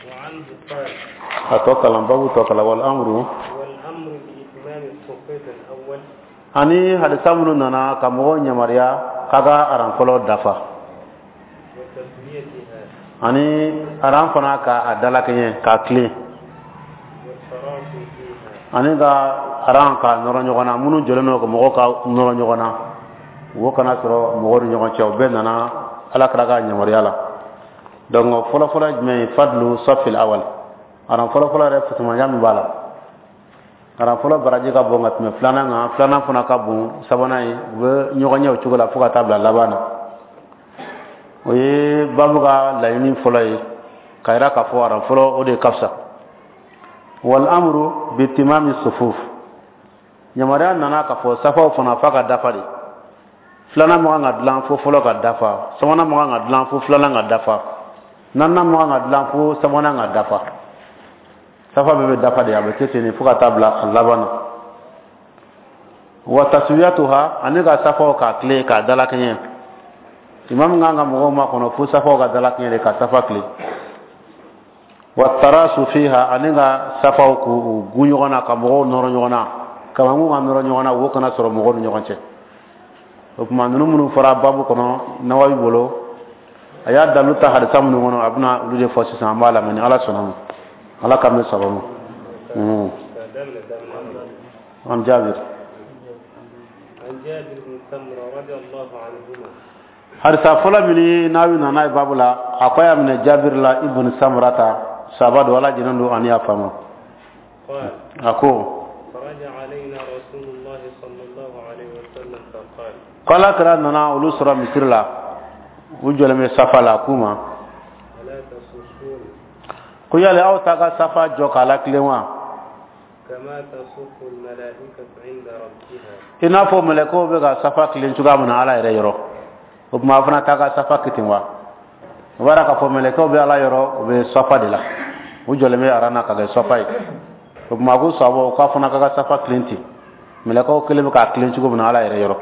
وعنه قال. A tɔ kalan, babu tɔ kalan. والأمر والأمر بإتمام الصفوف الأول. Ani hadisa minnu nana ka mɔgɔw yamaruya k'a ka aran fɔlɔ dafa. وتسويتها. Ani aran fana ka a dalakɛɲɛ, k'a tilen. والتراصي فيها. Ani ka aran ka nɔrɔ ɲɔgɔn na, minnu jɔlen don ka mɔgɔw ka nɔrɔ ɲɔgɔn na, wo kana sɔrɔ mɔgɔw ni ɲɔgɔn cɛ. O bɛɛ nana Ala kira ka yamaruya la. Donc fɔlɔfɔlɔ ye jumɛn ye? فضل الصف الأول, aran fɔlɔfɔlɔ yɛrɛ fisamanya min b'a la. Aran fɔlɔ baraji ka bon ka tɛmɛ filanan kan, filanan fana ka bon sabanan ye. U bɛ ɲɔgɔn ɲɛ o cogo la fo ka taa bila laban na. O ye babu ka laɲini fɔlɔ ye, ka yira k'a fɔ aran fɔlɔ, o de ka fisa. والأمر بإتمام الصفوف, yamaruya nana k'a fɔ safaw fana f'a ka dafa de. Filanan man kan ka dilan fo fɔlɔ ka dafa, sabanan man kan ka dilan fo filanan ka dafa, naaninan man kan ka dilan fo sabanan ka dafa. Safa bɛɛ bɛ dafa de, a bɛ kɛ ten de fo ka taa bila a laban na. وتسويتها, ani ka safaw k'a tilen, k'a dalakɛɲɛ. Imamu kan ka mɔgɔw makɔnɔ fo safaw ka dalakɛɲɛ de, ka safa tilen. والتراص فيها, ani ka safaw k'u gun ɲɔgɔn na, ka mɔgɔw nɔrɔ ɲɔgɔn na, kamankun ka nɔrɔ ɲɔgɔn na, wo kana sɔrɔ mɔgɔw ni ɲɔgɔn cɛ. O tuma ninnu minnu fɔra babu kɔnɔ, Nawawi bolo, a y'a dalu ta hadisa minnu kɔnɔ, a bɛna olu de fɔ sisan. An b'a lamɛn ni Ala sɔnna ma. Ala k'an bɛ saba ma. عن جابر. عن جابر بن سمرة رضي الله عنهما. Hadisa fɔlɔ min n'a nana ye babu la, a ko a y'a minɛ Jabir la ibn Samurata, saba don, Ala jɛnnen don ani y'a faamu. قال: A ko: خرج علينا رسول الله صلى الله عليه وسلم فقال: Ko Ala kira nana olu sɔrɔ misiri la, u jɔlen bɛ safa la. A k'u ma: ألا تصفون Ko yali aw ta ka safa jɔ k'a latilen wa كما تصف الملائكة عند ربها؟ i n'a fɔ mɛlɛkɛw bɛ ka safa tilen cogoya min na Ala yɛrɛ yɔrɔ? O tuma aw fana t'a ka safa kɛ ten wa? O b'a k'a fɔ mɛlɛkɛw bɛ Ala yɔrɔ, u bɛ safa de la, u jɔlen bɛ aran na ka kɛ safa ye. O tuma a ko sabaw k'a fana ka safa tilen ten, mɛlɛkɛw kelen bɛ k'a tilen cogo min na Ala yɛrɛ yɔrɔ.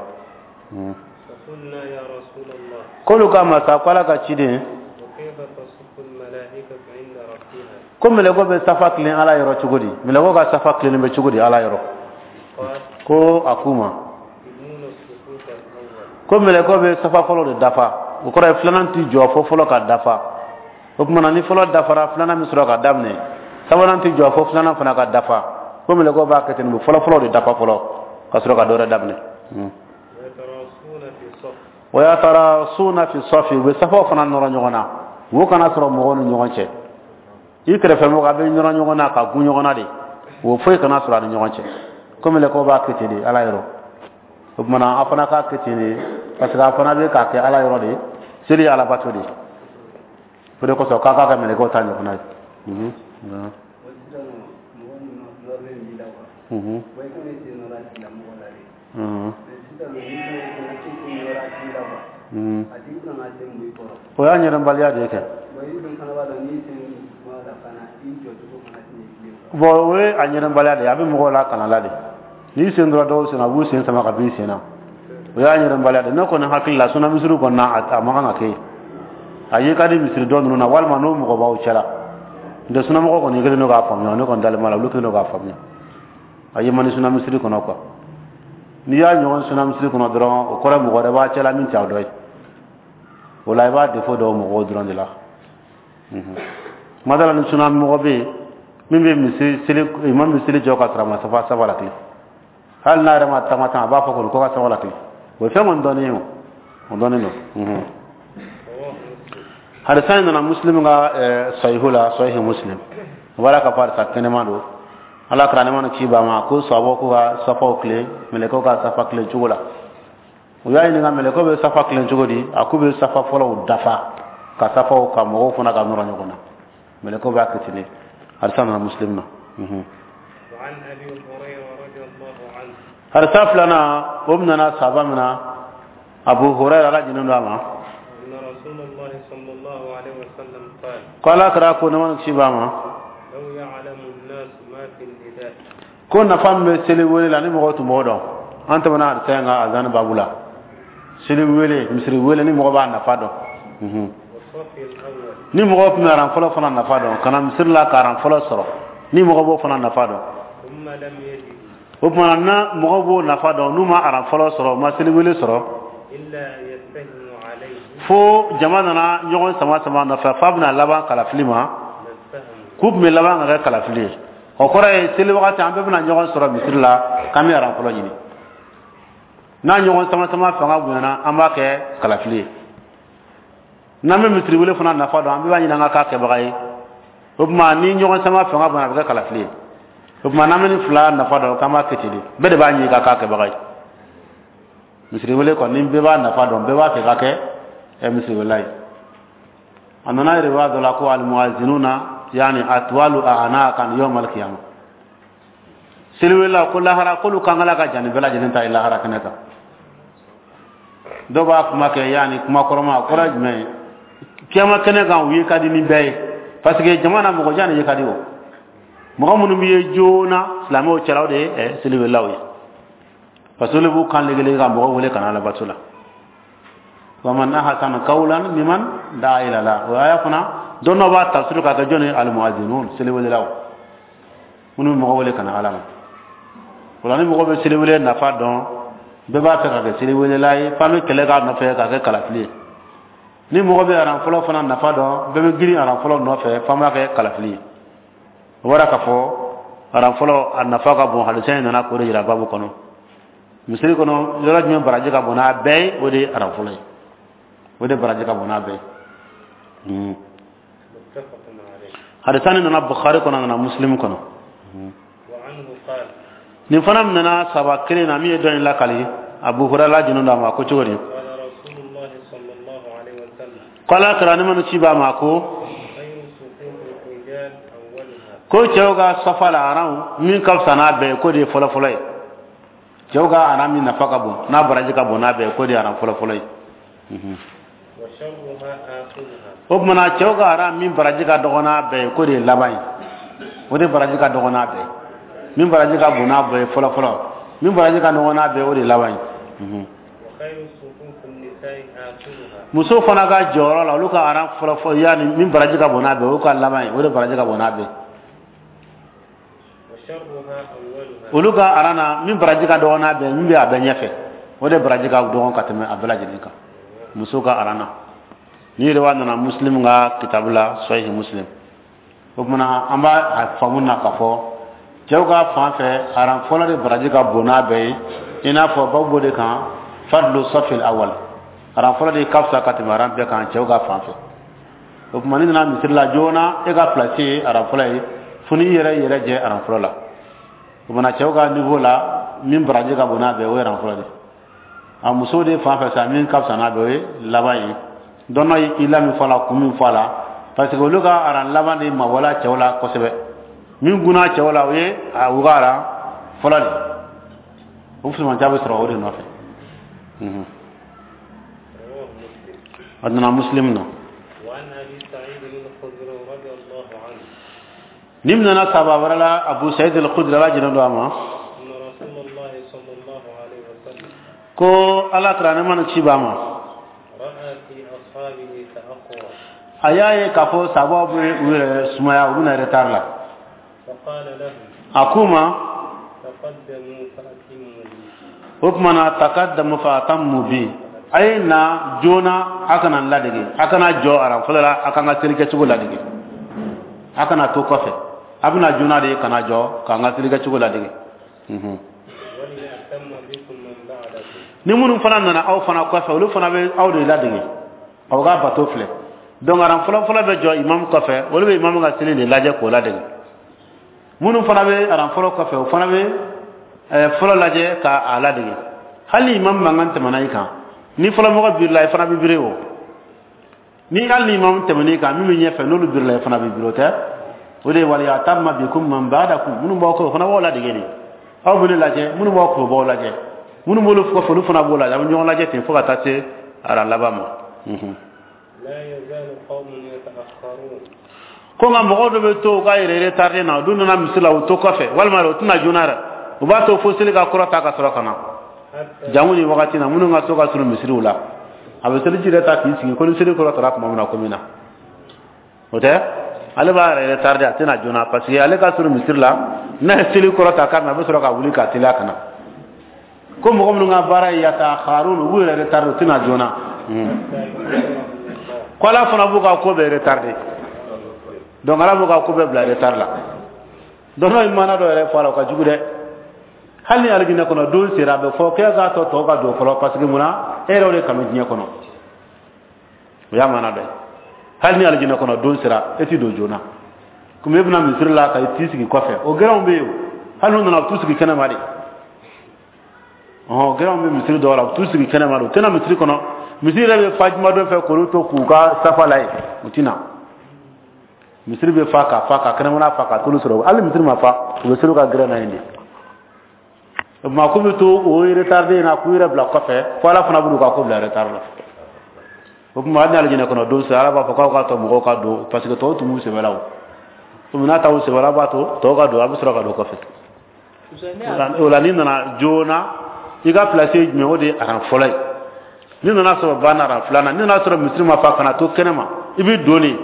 فقلنا يا رسول الله: K'olu k'a ma sa ko Ala ka ciden: وكيف تصف الملائكة عند ربها؟ Ko mɛlɛkɛw bɛ safa tilen Ala yɔrɔ cogo di? Mɛlɛkɛw ka safa tilennen bɛ cogo di Ala yɔrɔ? قال: Ko a k'u ma: يتمون الصفوف الأول. Ko mɛlɛkɛw bɛ safa fɔlɔ de dafa. O kɔrɔ ye filanan ti jɔ fo fɔlɔ ka dafa. O tuma na ni fɔlɔ dafara, filanan bɛ sɔrɔ ka daminɛ. Sabanan ti jɔ fo filanan fana ka dafa. Ko mɛlɛkɛw b'a kɛ ten, u bɛ fɔlɔ fɔlɔ de dafa fɔlɔ ka sɔrɔ ka dɔ wɛrɛ daminɛ. ويتراصون في الصف. ويتراصون في الصف, u bɛ safaw fana nɔrɔ ɲɔgɔn na, wo kana sɔrɔ mɔgɔw ni ɲɔgɔn cɛ. I kɛrɛfɛ mɔgɔ, a bɛ nɔrɔ ɲɔgɔn na ka gun ɲɔgɔn na de, wo foyi kana sɔrɔ a ni ɲɔgɔn cɛ. Ko mɛlɛkɛw b'a kɛ ten de Ala yɔrɔ. O tuma na a fana k'a kɛ ten de, parce que a fana bɛ k'a kɛ Ala yɔrɔ de. Seli ye alabato de ye. O de kosɔn k'a k'a ka mɛlɛkɛw ta ɲɔgɔnna ye. O sisan nɔ, mɔgɔ ninnu nɔrɔlen b'i la quoi. Bon, i kana i sen nɔrɔ a tigilamɔgɔ la de. Mais sisan nɔ, n'i fana ko k'i sen nɔrɔ a tigi la quoi, a tigi bɛna n'a sen bɔ i kɔrɔ. O y'a ɲɛdɔnbaliya de ye kɛ. Bon, i dun fana b'a dɔn n'i sen bɔ a la fana, i jɔcogo fana tɛ ɲɛ bilen quoi. Bon, o ye a ɲɛdɔnbaliya de ye. A bɛ mɔgɔw la kanala de. N'i sen dɔrɔn dɔw sen na, a b'u sen sama ka b'i sen na. O y'a ɲɛdɔnbaliya de. Ne kɔni hakili la, suna misiri kɔni na, a man kan ka kɛ yen. A ye ka di misiri dɔ ninnu na, walima n'o mɔgɔ b'aw cɛla. N tɛ sunamɔgɔ kɔni kɛlen don k'a faamuya. Ne kɔni dalen b'a la, olu kɛlen don k'a faamuya. A ye man di suna misiri kɔnɔ quoi. N'i y'a ɲɔgɔn suna misiri kɔnɔ dɔrɔn, o kɔrɔ ye mɔgɔ wɛrɛ b'a cɛla min t'aw dɔ ye. O la i b'a défaut dɔw mɔgɔw dɔrɔn de la. Kuma dɔ la, ni suna mɔgɔ bɛ yen min bɛ misiri seli, imam bɛ seli jɔ ka sɔrɔ a ma safa saba la kile, hali n'a yɛrɛ ma taama tan, a b'a fɔ kɔni ko ka saba la kile. O ye fɛn kɔni dɔnnen ye, o o dɔnnen don. رواه مسلم. Hadisa in nana Muslim ka sahihu la, Sahihu Muslim. O b'a la k'a fɔ hadisa kɛnɛma don. Ala kira nɛma ni kisi b'a ma ko sababu k'u ka safaw tilen mɛlɛkɛw ka safa tilen cogo la. U y'a ɲininka mɛlɛkɛw bɛ safa tilen cogo di? A k'u bɛ safa fɔlɔw dafa, ka safaw ka mɔgɔw fana ka nɔrɔ ɲɔgɔn na. Mɛlɛkɛw b'a kɛ ten de. Hadisa nana Muslim na. وعن أبي هريرة رضي الله عنه. Hadisa filanan, o nana saba min na, Abu Hurairah, Ala jɛnnen don a ma, أن رسول الله صلى الله عليه وسلم قال: ko Ala kira ko nɛma ni kisi b'a ma: لو يعلم الناس ما في النداء ko nafa min bɛ seli wele la, ni mɔgɔw tun b'o dɔn. An tɛmɛna hadisa in ka azan babu la. Seli wele, misiri wele, ni mɔgɔ b'a nafa dɔn. والصف Ni mɔgɔw tun bɛ aran fɔlɔ fana nafa dɔn ka na misiri la ka aran fɔlɔ sɔrɔ, ni mɔgɔ b'o fana nafa dɔn, o tuma na mɔgɔw b'o nafa dɔn, n'u ma aran fɔlɔ sɔrɔ, u ma seliwele sɔrɔ, fo jama nana ɲɔgɔn sama sama nɔfɛ f'a bɛna laban kalafili ma, k'u tun bɛ laban ka kɛ kalafili ye. O kɔrɔ ye seli wagati an bɛɛ bɛna ɲɔgɔn sɔrɔ misiri la k'an bɛ aran fɔlɔ ɲini. N'a ɲɔgɔn sama sama fanga bonyana, an b'a kɛ kalafili ye. N'an bɛ misiri wele fana nafa dɔn, an bɛɛ b'a ɲini an ka k'a kɛbaga ye. O tuma ni ɲɔgɔn sama fanga bonyana, a bɛ kɛ kalafili ye. O tuma n'an bɛ nin fila nafa dɔn, k'an b'a kɛ ten de, bɛɛ de b'a ɲini ka k'a kɛbaga ye. Misiri wele kɔni, bɛɛ b'a nafa dɔn, bɛɛ b'a fɛ ka kɛ misiri welela ye. A nana riwaya dɔ la ko almuazinuna yani atwalu a'naqan yawm al-qiyamah. Seliwelela ko lahara k'olu kankala ka jan ni bɛɛ lajɛlen ta ye lahara kɛnɛ kan. Dɔw b'a kuma kɛ yani kuma kɔrɔma, a kɔrɔ ye jumɛn ye? Kiyama kɛnɛ kan, u ye ka di ni bɛɛ ye, parce que jama na mɔgɔ jan de ye ka di. O mɔgɔ minnu bɛ ye joona silamɛw cɛla, o de ye seliwelelaw ye, parce que olu b'u kan legelege ka mɔgɔw wele ka na alabato la. Waman ahsanu qawlan mimman da'a ila Allah. O aya fana, dɔn dɔ b'a tafsir k'a kɛ jɔn ye? Almuazinun, seliwelelaw minnu bɛ mɔgɔ wele ka na Ala ma. O la ni mɔgɔ bɛ seliwele nafa dɔn, bɛɛ b'a fɛ ka kɛ seliwelela ye, f'an bɛ kɛlɛ k'a nɔfɛ k'a kɛ kalafili ye. Ni mɔgɔ bɛ aran fɔlɔ fana nafa dɔn, bɛɛ bɛ girin aran fɔlɔ nɔfɛ, f'an b'a kɛ kalafili ye. O bɔra k'a fɔ aran fɔlɔ a nafa ka bon. Hadisa in nana k'o de yira baabu kɔnɔ. Misiri kɔnɔ, yɔrɔ jumɛn baraji ka bon n'a bɛɛ ye? O de ye aran fɔlɔ ye, o de baraji ka bon n'a bɛɛ ye. Hadisa nin nana Bukhari kɔnɔ, nana Muslim kɔnɔ. Nin fana nana saba kelen na min ye dɔ in lakali, Abu Hurayra jinu d'a ma ko cogo di? Ko Ala kira ni ma ci b'a ma ko cɛw ka safa la aran min ka fisa n'a bɛɛ ye, k'o de ye fɔlɔ fɔlɔ ye. Cɛw ka aran min nafa ka bon n'a baraji ka bon n'a bɛɛ ye, k'o de ye aran fɔlɔ fɔlɔ ye. O tuma na cɛw ka aran min baraji ka dɔgɔ n'a bɛɛ ye, k'o de ye laban ye, o de baraji ka dɔgɔ n'a bɛɛ ye. Min baraji ka bon n'a bɛɛ ye fɔlɔ fɔlɔ, min baraji ka dɔgɔ n'a bɛɛ ye, o de ye laban ye. Muso fana ka jɔyɔrɔ la, olu ka aran fɔlɔ fɔlɔ, yanni min baraji ka bon n'a bɛɛ ye, o ka laban ye, o de baraji ka bon n'a bɛɛ ye. Olu ka aran na min baraji ka dɔgɔ n'a bɛɛ ye, min bɛ a bɛɛ ɲɛfɛ, o de baraji ka dɔgɔ ka tɛmɛ a bɛɛ lajɛlen kan, muso ka aran na. Ni yɛrɛ nana Muslim ka kitabu la, Sahih Muslim. O tuma an b'a faamu na k'a fɔ cɛw ka fan fɛ, aran fɔlɔ de baraji ka bon n'a bɛɛ ye, i n'a fɔ babu b'o de kan, fadlu safil awal, aran fɔlɔ de ka fisa ka tɛmɛ aran bɛɛ kan cɛw ka fan fɛ. O tuma n'i nana misiri la joona, e ka place ye aran fɔlɔ ye, fo n'i yɛrɛ jɛ aran fɔlɔ la. O tuma cɛw ka niveau la, min baraji ka bon n'a bɛɛ ye, o ye aran fɔlɔ de. A musow de fan fɛ sa, min ka fisa n'a bɛɛ, o ye laban ye. Dɔn ye i la min fɔ a la, kun min fɔ a la, parce que olu ka aran laban de mabɔla cɛw la kosɛbɛ. Min gunna cɛw la, o ye a u ka aran fɔlɔ de. O fusumanca bɛ sɔrɔ o de nɔfɛ. A nana Muslim na. Ni nana saba wɛrɛ la, Abu Sa'id al-Khudri, Ala jɛnna don a ma, ko Ala kira ne mana ci b'a ma, a y'a ye k'a fɔ sabaw bɛ u yɛrɛ sumaya, u bɛna retard la. A k'u ma, o tuma na taqaddamu fa atammu bi, a ye na joona, a kana n ladege, a kana jɔ aran fɔlɔ la, a k'an ka seli kɛcogo ladege, a kana to kɔfɛ, a bɛna joona de kana jɔ k'an ka seli kɛcogo ladege. Ni minnu fana nana aw fana kɔfɛ, olu fana bɛ aw de ladege, aw ka bato filɛ. Donc aran fɔlɔ fɔlɔ bɛ jɔ imam kɔfɛ, olu bɛ imam ka seli de lajɛ k'o ladege. Minnu fana bɛ aran fɔlɔ kɔfɛ, o fana bɛ fɔlɔ lajɛ k'a ladege. Hali imam mankan tɛmɛna i kan, ni fɔlɔmɔgɔ birila, i fana bɛ biri o. Ni hali ni imam tɛmɛn'i kan, min bɛ ɲɛfɛ, n'olu birila, i fana bɛ biri o tɛ. O de ye waliyatamma bikum man ba'dakum, minnu b'aw kɔfɛ, o fana b'aw ladege de. Aw bɛ ne lajɛ, minnu b'aw kɔfɛ, o b'aw lajɛ, minnu b'olu kɔfɛ, olu fana b'o lajɛ, a bɛ ɲɔgɔn lajɛ ten fo ka taa se aran laban ma. Ko nka mɔgɔw dɔ bɛ to u ka yɛrɛ retardé na, olu nana misi la, u to kɔfɛ, walima u tɛna joona yɛrɛ, u b'a to fo seli ka kɔrɔ ta ka sɔrɔ ka na. Jango ni wagati na, minnu ka so ka surun misiriw la. A bɛ seliji yɛrɛ ta k'i sigi ko ni seli kɔrɔ tara tuma min na ko min na o tɛ, ale b'a yɛrɛ retarder, a tɛna joona, parce que ale ka surun misiri la. N'a ye seli kɔrɔ ta k'a min, a bɛ sɔrɔ ka wuli ka teliya ka na. Ko mɔgɔ minnu ka baara ye yataakharun, u b'u yɛrɛ retarder, u tɛna joona. Ko Ala fana b'u ka ko bɛɛ retarder. Donc Ala b'u ka ko bɛɛ bila retard la. Donc n'o ye maana dɔ yɛrɛ fɔ a la, o ka jugu dɛ. Hali ni alijinɛ kɔnɔ don sera, a bɛ fɔ k'e k'a tɔ tɔw ka don fɔlɔ, parce que munna? E yɛrɛ o de kanu diɲɛ kɔnɔ. O y'a maana dɔ ye. Hali ni alijinɛ kɔnɔ don sera, e ti don joona, komi e bɛna misiri la ka t'i sigi kɔfɛ. O gɛrɛnw bɛ yen o, hali n'u nana, u t'u sigi kɛnɛma de. Ɔhɔn, gɛrɛnw bɛ misiri dɔw la, u t'u sigi kɛnɛma de, u tɛna misiri kɔnɔ. Misiri yɛrɛ bɛ fa juma dɔ fɛ k'olu to k'u ka safa la yen, u tɛna. Misiri bɛ fa ka fa ka kɛnɛmana fa ka t'olu sɔrɔ. Hali misiri ma fa, u bɛ seli u ka gɛrɛn na yen de. O tuma k'u bɛ to o retardé in na k'u yɛrɛ bila kɔfɛ, fo Ala fana b'u ka ko bila retard la. O tuma hali ni alijinɛ kɔnɔ don sera, Ala b'a fɔ k'aw ka tɔ mɔgɔw ka don, parce que tɔw tun b'u sɛbɛ la. O komi n'a t'aw sɛbɛ la, a b'a to tɔw ka don, a bɛ sɔrɔ ka don kɔfɛ. O la n'i nana joona, i ka place ye jumɛn? O de ye aran fɔlɔ ye. N'i nana sɔrɔ ba na aran filanan, n'i nana sɔrɔ misiri ma fa, kana to kɛnɛ ma, i bɛ don de.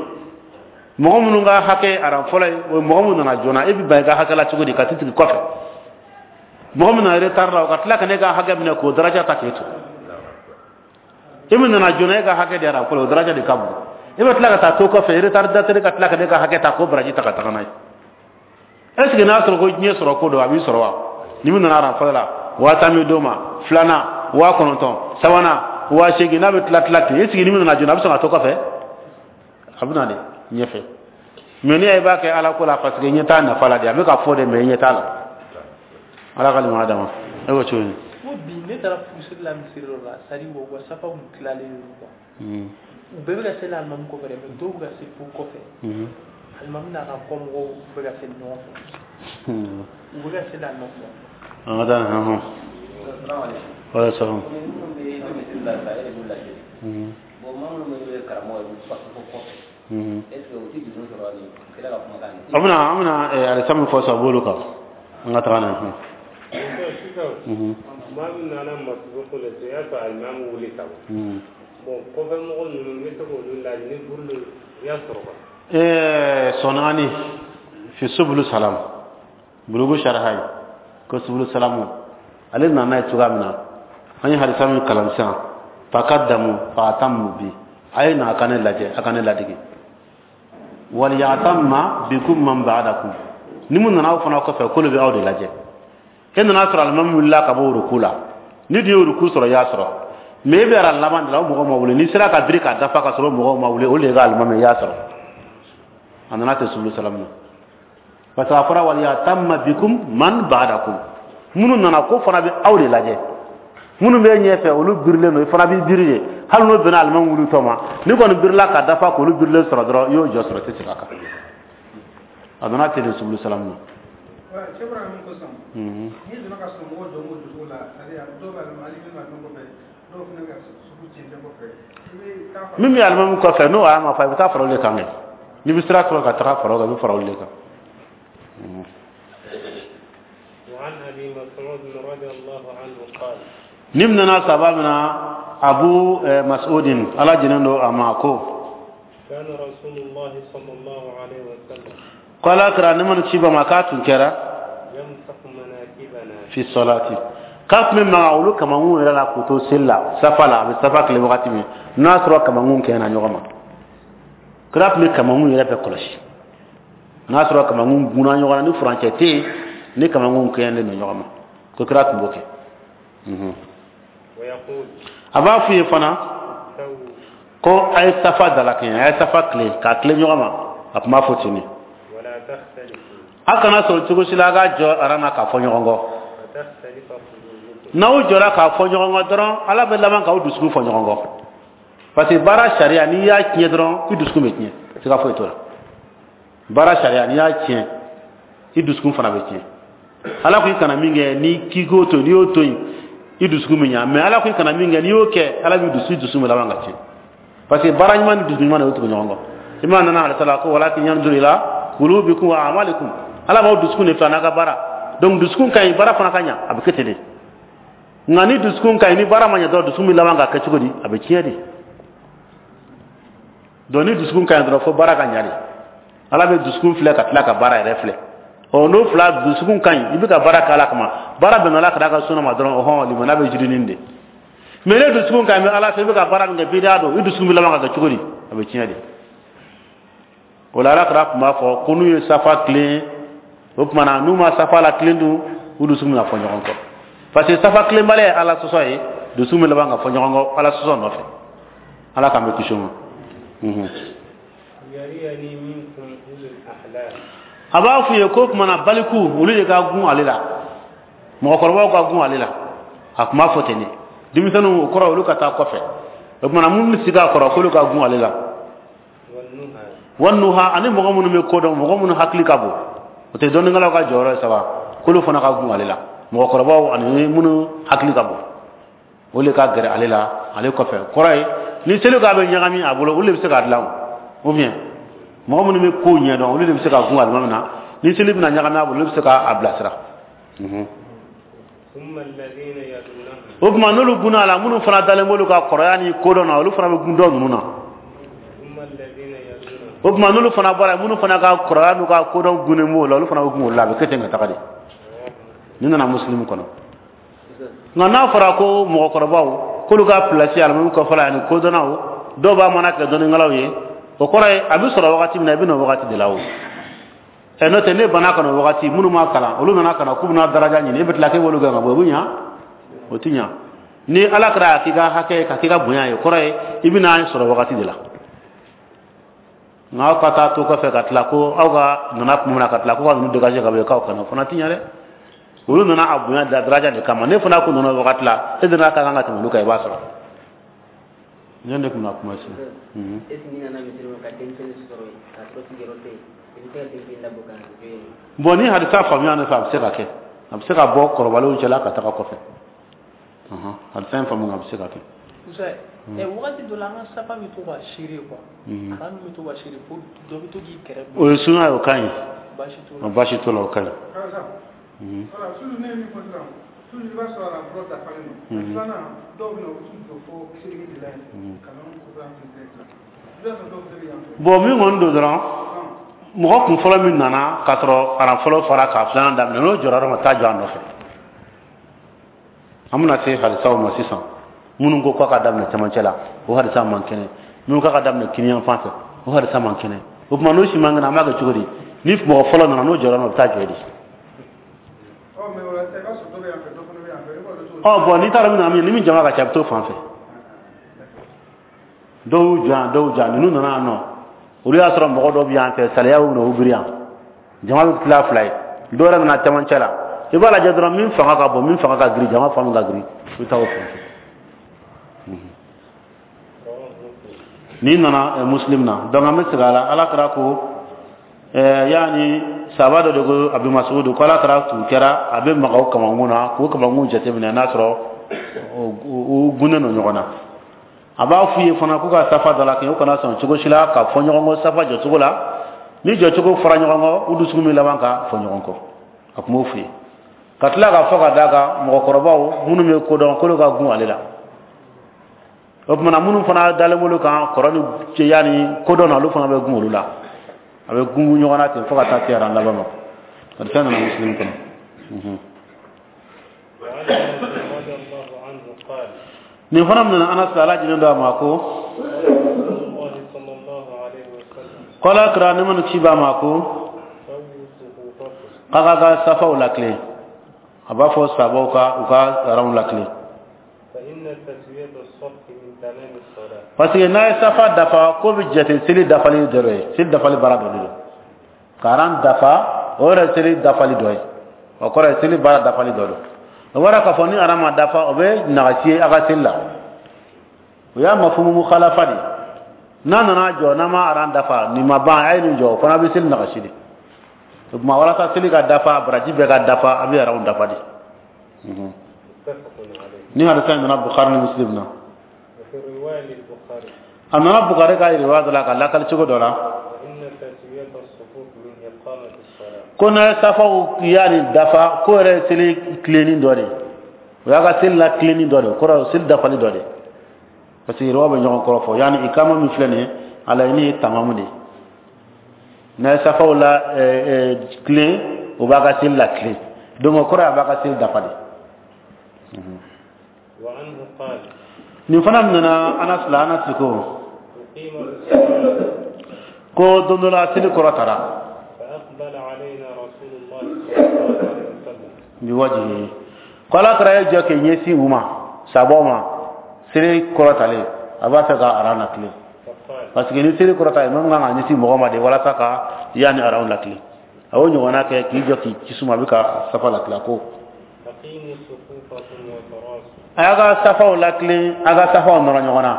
Mɔgɔ minnu ka hakɛ ye aran fɔlɔ ye, o ye mɔgɔ minnu nana joona. E bɛ ban i ka hakɛ la cogo di ka t'i sigi kɔfɛ? Mɔgɔ min nana retard la, o ka tila ka ne ka hakɛ minɛ k'o daraja ta k'e to. E min nana joona, e ka hakɛ de aran fɔlɔ, o daraja de ka bon. E bɛ tila ka taa to kɔfɛ, retardateur ka tila ka ne ka hakɛ ta k'o baraji ta ka taga n'a ye. Est ce que n'a sɔrɔ ko diɲɛ sɔrɔ ko don, a b'i sɔrɔ wa? Ni min nana aran fɔlɔ la, 10,000 bɛ d'o ma, filanan 9,000, sabanan 8,000. N'a bɛ tila tila ten, est ce que ni min nana joona, a bɛ sɔn ka to kɔfɛ? A bɛ na de ɲɛfɛ. Mais n'i y'a ye i b'a kɛ Ala ko la, parce que ɲɛ t'a nafa la de, a bɛ ka fɔ de, mais ɲɛ t'a la. Ala ka limaniya d'an ma. E ko cogo di? Ko bi ne taara furusiri la misiri dɔ la, c'est à dire u ka safa kun tilalen don quoi. U bɛɛ bɛ ka seli alimami kɔfɛ dɛ, mais dɔw bɛ ka seli fo kɔfɛ. Alimami n'a ka kɔmɔgɔw bɛ ka seli ɲɔgɔn fɛ, u bɛ ka seli alimami kɔfɛ. An ka taa hɔn. Wala salam. Minnu bɛ misiri la sisan, e de b'u laseli. Bon, maa minnu bɛ karamɔgɔ ye, u fo kɔfɛ, est ce que u tɛ juru sɔrɔ ni kira ka kumakan ye? An bɛna alisa min fɔ sisan, o b'olu kan. An ka taga n'a ye. Sisan maa min nana masibuku la sisan, i y'a sɔrɔ alimami wuli ka ban. Bon, kɔfɛ mɔgɔ ninnu, n bɛ se k'olu lajɛ ni buru i y'a sɔrɔ quoi. Sɔnani fi subulu salam, bulugu sharha ko subulu salamu, ale nana ye cogoya min na, an ye hadisa min kalan sisan, takaddamu fa atammu bi, a ye na a ka ne lajɛ, a ka ne ladege, waliyatamma bikum man ba'dakum, ni mun nana aw fana kɔfɛ, k'olu bɛ aw de lajɛ. E nana sɔrɔ alimami wulila ka bɔ uruku la, ni dun ye uruku sɔrɔ, i y'a sɔrɔ, mais e bɛ ara laban de la, o mɔgɔw ma wuli. N'i sera ka biri k'a dafa ka sɔrɔ mɔgɔw ma wuli, olu de ka alimami, i y'a sɔrɔ. A nana ten subulu salamu na, parce que a fɔra waliyatamma bikum man ba'dakum, minnu nana ko fana bɛ aw de lajɛ. Minnu bɛ ɲɛfɛ, olu birilen don, i fana b'i biri de. Hali n'o bɛnna alimami wulitɔ ma, n'i kɔni birila ka dafa k'olu birilen sɔrɔ dɔrɔn, i y'o jɔ sɔrɔ, i tɛ segin a kan. A nana ten de subulu salamu na. Cɛ bɔra min ko sisan, n'i donna ka sɔrɔ mɔgɔw jɔ b'o cogo la, c'est à dire dɔw bɛ alimami bɛ kɔfɛ, dɔw fana bɛ ka sugu cɛncɛn kɔfɛ, i bɛ taa fara Min bɛ alimami kɔfɛ, n'o y'a ma fa, i bɛ taa fara olu de kan kɛ. N'i bɛ sira sɔrɔ ka taga fara o kan, i bɛ fara olu de kan. وعن أبي مسعود رضي الله عنه قال: Ni min nana saba min na, Abu Mas'udin, Ala jɛnnen don a ma, ko: كان رسول الله صلى الله عليه وسلم ko Ala kira ne mana ci ba ma, k'a tun kɛra يمسح مناكبنا fi salati, k'a tun bɛ maga olu kamankun yɛrɛ la k'u to seli la, safa la, a bɛ safa tile wagati min n'a sɔrɔ kamankun kɛɲɛna ɲɔgɔn ma. Kira tun bɛ kamankun yɛrɛ bɛɛ kɔlɔsi n'a sɔrɔ kamankun gunna ɲɔgɔn na, ni furancɛ tɛ yen, ni kamankun kɛɲɛnen don ɲɔgɔn ma, ko kira tun b'o kɛ. ويقول: A b'a f'u ye fana سووا ko a ye safa dalakɛɲɛ, a ye safa tile k'a tile ɲɔgɔn ma. A tun b'a fɔ ten de. ولا تختلفوا A kana sɔrɔ cogo si la a ka jɔ aran na k'a fɔ ɲɔgɔn kɔ. فتختلف قلوبكم. N'aw jɔra k'a fɔ ɲɔgɔn kɔ dɔrɔn, Ala bɛ laban k'aw dusukun fɔ ɲɔgɔn kɔ, parce que baara sariya, n'i y'a tiɲɛ dɔrɔn, i dusukun bɛ tiɲɛ, siga foyi t'o la. Baara sariya, n'i y'a tiɲɛ, i dusukun fana bɛ tiɲɛ. Ala ko i kana min kɛ, ni k'i k'o to yen, n'i y'o to yen, i dusukun bɛ ɲa. Mais Ala ko i kana min kɛ, n'i y'o kɛ, Ala b'i dusu, i dusukun bɛ laban ka tiɲɛ, parce que baara ɲuman ni dusukun ɲuman de y'o tugu ɲɔgɔn kɔ. I m'a nana alisa la ko walakin yanzuru ila qulubikum wa a'malikum, Ala b'aw dusukun de fɛ a n'a ka baara. Donc dusukun ka ɲi, baara fana ka ɲa, a bɛ kɛ ten de. Nka ni dusukun ka ɲi, ni baara ma ɲɛ dɔrɔn, dusukun bɛ laban ka kɛ cogo di? A bɛ tiɲɛ de. Donc ni dusukun ka ɲi dɔrɔn, fo baara ka ɲa de. Ala bɛ dusukun filɛ ka tila ka baara yɛrɛ filɛ. Ɔ, n'o fila, dusukun ka ɲi, i bɛ ka baara kɛ Ala kama, baara bɛnna Ala kira ka sunna ma dɔrɔn, ɔhɔn, limaniya bɛ jirinin de. Mais ne dusukun ka ɲi bɛ Ala fɛ, i bɛ ka baara min kɛ, bidaa don, i dusukun bɛ laban ka kɛ cogo di? A bɛ tiɲɛ de. O la, Ala kira tun b'a fɔ ko n'u ye safa tilen, o tuma na n'u ma safa la tilen dun, u dusukun bɛna fɔ ɲɔgɔn kɔ, parce que safa tilenbaliya ye Ala sɔsɔ ye. Dusukun bɛ laban ka fɔ ɲɔgɔn kɔ Ala sɔsɔ nɔfɛ. Ala k'an bɛ kisi o ma. A b'a f'u ye ko tuma na baliku, olu de ka gun ale la, mɔgɔkɔrɔbaw ka gun ale la. A tun b'a fɔ ten de. Denmisɛnninw, o kɔrɔ olu ka taa kɔfɛ. O tuma na minnu bɛ sigi a kɔrɔ, k'olu ka gun ale la. Wanuha, ani mɔgɔ minnu bɛ ko dɔn, mɔgɔ minnu hakili ka bon, o tɛ dɔnnikɛlaw ka jɔyɔrɔ ye saba, k'olu fana ka gun ale la. Mɔgɔkɔrɔbaw ani minnu hakili ka bon, o de ka gɛrɛ ale la, ale kɔfɛ. Kɔrɔ ye, ni seli k'a bɛ ɲagami a bolo, olu de bɛ se k'a dilan o. Ou bien mɔgɔ minnu bɛ kow ɲɛdɔn, olu de bɛ se ka gun alimami na. Ni seli bɛna ɲagami a bolo, olu bɛ se k'a bilasira. O tuma n'olu gunna a la, minnu fana dalen b'olu ka kɔrɔya ni kodɔn na, olu fana bɛ gun dɔ ninnu na. O tuma n'olu fana bɔra, minnu fana ka kɔrɔya n'u ka kodɔn gunnen b'o la, olu fana bɛ gun olu la. A bɛ kɛ ten ka taga de. Nin nana Muslim kɔnɔ. Nka n'a fɔra ko mɔgɔkɔrɔbaw k'olu ka pilasi alimami kɔfɛla ani kodɔnnaw, dɔw b'a mana kɛ dɔnnikɛlaw ye, o kɔrɔ ye a bɛ sɔrɔ wagati min na, i bɛ na o wagati de la. O ɛ, n'o tɛ, ne banna ka na o wagati, minnu ma kalan, olu nana ka na k'u bɛna daraja ɲini, e bɛ tila k'e b'olu gɛn ka bɔ, o bɛ ɲa? O tɛ ɲa. Ni Ala kɛra a k'i ka hakɛ, ka k'i ka bonya ye, o kɔrɔ ye i bɛna sɔrɔ wagati de la. Nka aw ka taa to kɔfɛ ka tila ko aw ka nana tuma min na, ka tila ko ka ninnu dégager ka bɔ yen, k'aw kana, o fana tɛ ɲa dɛ. Olu nana a bonya daraja de kama. Ne fana ko nana wagati la, e nana ka kan ka tɛmɛ olu kan, i b'a sɔrɔ. Ne de tun bɛna kuma sisan. Est ce que n'i nana misiri kɔnɔ ka denmisɛnnin sɔrɔ yen, k'a sɔrɔ sigiyɔrɔ tɛ yen, i bɛ se ka denmisɛnnin labɔ ka na jɔ yen? Bon, ni hadisa faamuya ne fɛ, a bɛ se ka kɛ. A bɛ se ka bɔ kɔrɔbalenw cɛla ka taga kɔfɛ. Hadisa in faamu, a bɛ se ka kɛ. Wagati dɔ la, an ka safa bɛ to ka seere quoi. Aran bɛ to ka seere fo dɔ bɛ to k'i kɛrɛ. O ye sunya ye, o ka ɲi. Baasi t'o la, o ka ɲi. Voilà, sulu ne ye min fɔ sisan, sulu i b'a sɔrɔ a fɔlɔ dafalen don. Filanan, dɔw bɛ na, u t'u jɔ fo seleke de la yen ka na kɔfɛ an fɛ direct la. I b'a sɔrɔ dɔw fana bɛ yan fɛ. Bon, min kɔni don dɔrɔn, mɔgɔ kun fɔlɔ min nana k'a sɔrɔ aran fɔlɔ fara k'a filanan daminɛ, n'o jɔra yɔrɔ min, taa jɔ a nɔfɛ. An bɛna se hadisaw ma sisan. Minnu ko k'a ka daminɛ cɛmancɛ la, o hadisa man kɛnɛ. Minnu k'a ka daminɛ kiniyan fan fɛ, o hadisa man kɛnɛ. O tuma n'o si man kɛnɛ, an b'a kɛ cogo di? Ni mɔgɔ fɔlɔ nana, n'o jɔra, o bɛ taa jɔ de. Ɔ bon, n'i taara min na, ni min jama ka ca, a bɛ t'o fan fɛ. Dɔw y'u jɔ yan, dɔw jɔ yan. Ninnu nana yan nɔ, olu y'a sɔrɔ mɔgɔ dɔw bɛ yan fɛ, saliya y'u minɛ, u biri yan. Jama bɛ tila fila ye. Dɔw yɛrɛ nana cɛmancɛ la. I b'a lajɛ dɔrɔn, min fanga ka bon, min fanga ka girin, jama fan min ka girin, i bɛ taa o fan fɛ. N'i nana Muslim na, donc an bɛ segin a la. Ala kɛra ko yaani saba dɔ de ko Abi Mas'ud ko Ala kɛra tun kɛra a bɛ maga o kamankun na, k'o kamankun jateminɛ n'a sɔrɔ u gunnen don ɲɔgɔn na. A b'a f'u ye fana k'u ka safa dɔ la kɛ, u kana sɔn cogo si la ka fɔ ɲɔgɔn kɔ safa jɔcogo la. Ni jɔcogo fɔra ɲɔgɔn kɔ, u dusukun bɛ laban ka fɔ ɲɔgɔn kɔ. A tun b'o f'u ye ka tila k'a fɔ ka d'a kan mɔgɔkɔrɔbaw minnu bɛ kodɔn, k'olu ka gun ale la. O tuma na minnu fana dalen b'olu kan kɔrɔ ni cɛya ni kodɔn na, olu fana bɛ gun olu la. A bɛ gungun ɲɔgɔn na ten fo ka taa se aran laban ma. Hadisa nana Muslim kɔnɔ. Nin fana minɛna Anas, Ala jɛnnen don a ma, ko k'Ala kira nɛɛma ni kisi b'a ma ko k'a ka safaw latilen. A b'a fɔ sabaw ka u ka aranw latilen, parce que n'a ye safa dafa, k'o bɛ jate seli dafali dɔ ye, seli dafali baara dɔ de don. Ka aran dafa, o yɛrɛ seli dafali dɔ ye, o kɔrɔ ye seli baara dafali dɔ don. O bɔra k'a fɔ ni aran ma dafa, o bɛ nagasi ye a ka seli la. O y'a mafumu mukhalafa de. N'a nana jɔ, n'a ma aran dafa, nin ma ban, a ye nin jɔ, o fana bɛ seli nagasi de. O tuma walasa seli ka dafa, baraji bɛɛ ka dafa, a bɛ aranw dafa de. Ni hadisa in nana Bukhari ni Muslim na. A nana Bukhari ka riwaya dɔ la ka lakali cogo dɔ la ko n'a ye safaw yaani dafa, ko yɛrɛ ye seli tilenni dɔ de. O y'a ka seli la tilenni dɔ de, o kɔrɔ seli dafali dɔ de, parce que yɛrɛw bɛ ɲɔgɔn kɔrɔ fɔ. Yanni ikama min filɛ nin ye, a laɲini ye tamamu de ye. N'a ye safaw la tilen, o b'a ka seli la tilen. Donc o kɔrɔ ye a b'a ka seli dafa de. Nin fana nana Anas la. Anas ko ko don dɔ la, seli kɔrɔ tara biwajihi, ko ala kɛra ye jɔ k'i ɲɛsin u ma, sabaw ma. Seli kɔrɔ talen, a b'a fɛ ka aran latilen, parce que ni seli kɔrɔ ta, imam kan ka ɲɛsin mɔgɔ ma de walasa ka yanni aran latilen. A y'o ɲɔgɔnna kɛ k'i jɔ k'i ci suma, a bɛ ka safa latilen. Ko a y'a ka safaw latilen, a ka safaw nɔrɔ ɲɔgɔn na,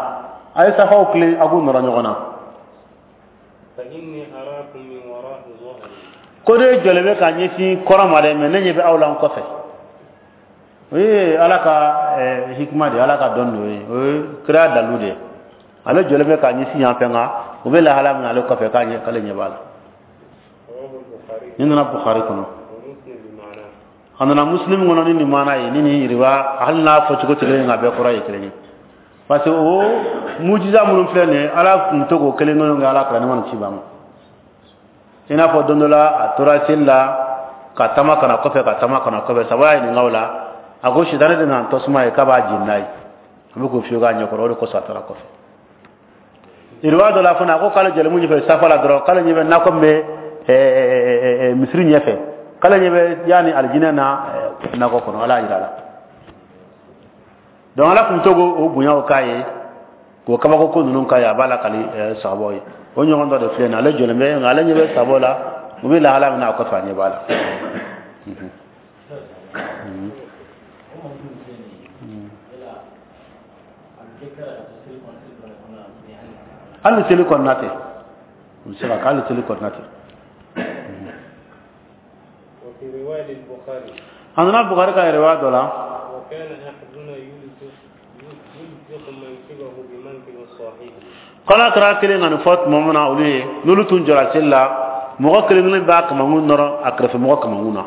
a ye safaw tilen, a k'u nɔrɔ ɲɔgɔn na. Ko ne jɔlen bɛ ka ɲɛsin kɔrɔ ma dɛ, mais ne ɲɛ bɛ aw la n kɔfɛ. O ye ala ka hikima de ye, ala ka dɔn de ye, o ye kira dalu de ye. Ale jɔlen bɛ ka ɲɛsin yan fɛ, nka u bɛ lahala min na ale kɔfɛ, k'a ɲɛ k'ale ɲɛ b'a la. Nin nana Bukhari kɔnɔ, a nana Muslim kɔnɔ ni nin maana ye, ni nin yiriwa. Hali n'a fɔcogo tɛ kelen ye, nka a bɛɛ kɔrɔ ye kelen ye, parce que o mujiza minnu filɛ nin ye, ala tun to k'o kelen kelen kɛ ala kira ne ma nin ci ba ma. I n'a fɔ don dɔ la, a tora seli la ka taama ka na kɔfɛ, ka taama ka na kɔfɛ. Saba y'a ɲininka o la, a ko sitanɛ de nana tasuma ye k'a b'a jeni n'a ye, a bɛ k'o fiyɛ k'a ɲɛkɔrɔ, o de kosɔn a taara kɔfɛ. Yiriwa dɔ la fana, a ko k'ale jɔlen mun ɲɛfɛ safa la dɔrɔn, k'ale ɲɛ bɛ nakɔ min bɛ misiri ɲɛfɛ, k'ale ɲɛ bɛ yanni alijinɛ na nakɔ kɔnɔ, ala y'a jira a la. Donc ala tun to k'o bonyaw k'a ye, k'o kabako ko ninnu k'a ye, a b'a lakali sabaw ye. O ɲɔgɔn dɔ de filɛ nin ye, ale jɔlen bɛ, nka ale ɲɛ bɛ sabaw la, u bɛ lahala min na a kɔfɛ, a ɲɛ b'a la. Hali seli kɔnɔna tɛ, u bɛ se ka kɛ hali seli kɔnɔna tɛ. A nana Bukhari ka riwaya dɔ la, k'ala kɛra kelen ka nin fɔ tuma min na, olu ye n'olu tun jɔra seli la, mɔgɔ kelen kelen b'a kamankun nɔrɔ a kɛrɛfɛ mɔgɔ kamankun na.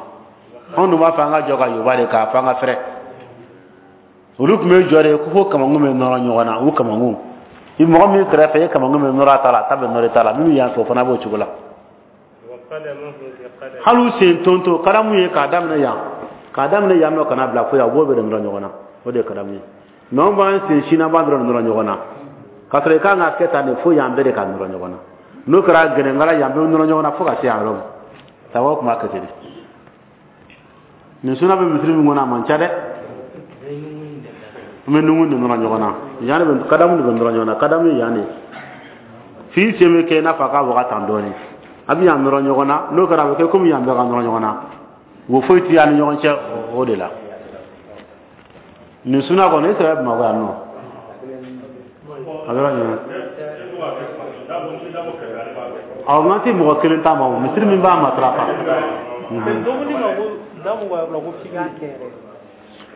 Anw dun b'a fɔ an ka jɔ ka yoba de k'a fɔ an ka fɛrɛ. Olu tun bɛ jɔ de ko fo kamankun bɛ nɔrɔ ɲɔgɔn na, u kamankun. I mɔgɔ min kɛrɛfɛ, i kamankun bɛ nɔrɔ a ta la, a ta bɛ nɔrɔ i ta la. Min bɛ yan fɛ, o fana b'o cogo la. Hali u sen tonto karamu ye k'a daminɛ yan, k'a daminɛ yan nɔ ka na bila fo yan, u b'o bɛɛ de nɔrɔ ɲɔgɔn na. O de ye karamu ye. Mais anw b'an sen sin na, b'an dɔrɔn nɔrɔ ɲɔgɔn na, k'a sɔrɔ i kan ka kɛ tan de fo yan bɛɛ de ka nɔrɔ ɲɔgɔn na. N'o kɛra gɛnɛnkala, yan bɛɛ bɛ nɔrɔ ɲɔgɔn na fo ka se yan yɔrɔ ma. Sababu tun b'a kɛ ten de. Nin suna bɛ misiri min kɔnɔ, a man ca dɛ. An bɛ nunkun de nɔrɔ ɲɔgɔn na yan de, bɛ kadamu de bɛ nɔrɔ ɲɔgɔn na. Kadamu ye yan de ye, f'i sen bɛ kɛ i n'a fɔ a ka waga tan dɔɔnin, a bɛ yan nɔrɔ ɲɔgɔn na. N'o kɛra, a bɛ kɛ komi yan bɛɛ ka nɔrɔ ɲɔgɔn na, wo foyi tɛ an ni ɲɔgɔn cɛ o de la. Nin suna kɔni, e sɛbɛ Bamakɔ yan nɔ, a bɛ yɔrɔ jumɛn? Awɔ, n'an tɛ mɔgɔ kelen ta ma, o misiri min b'a matarafa.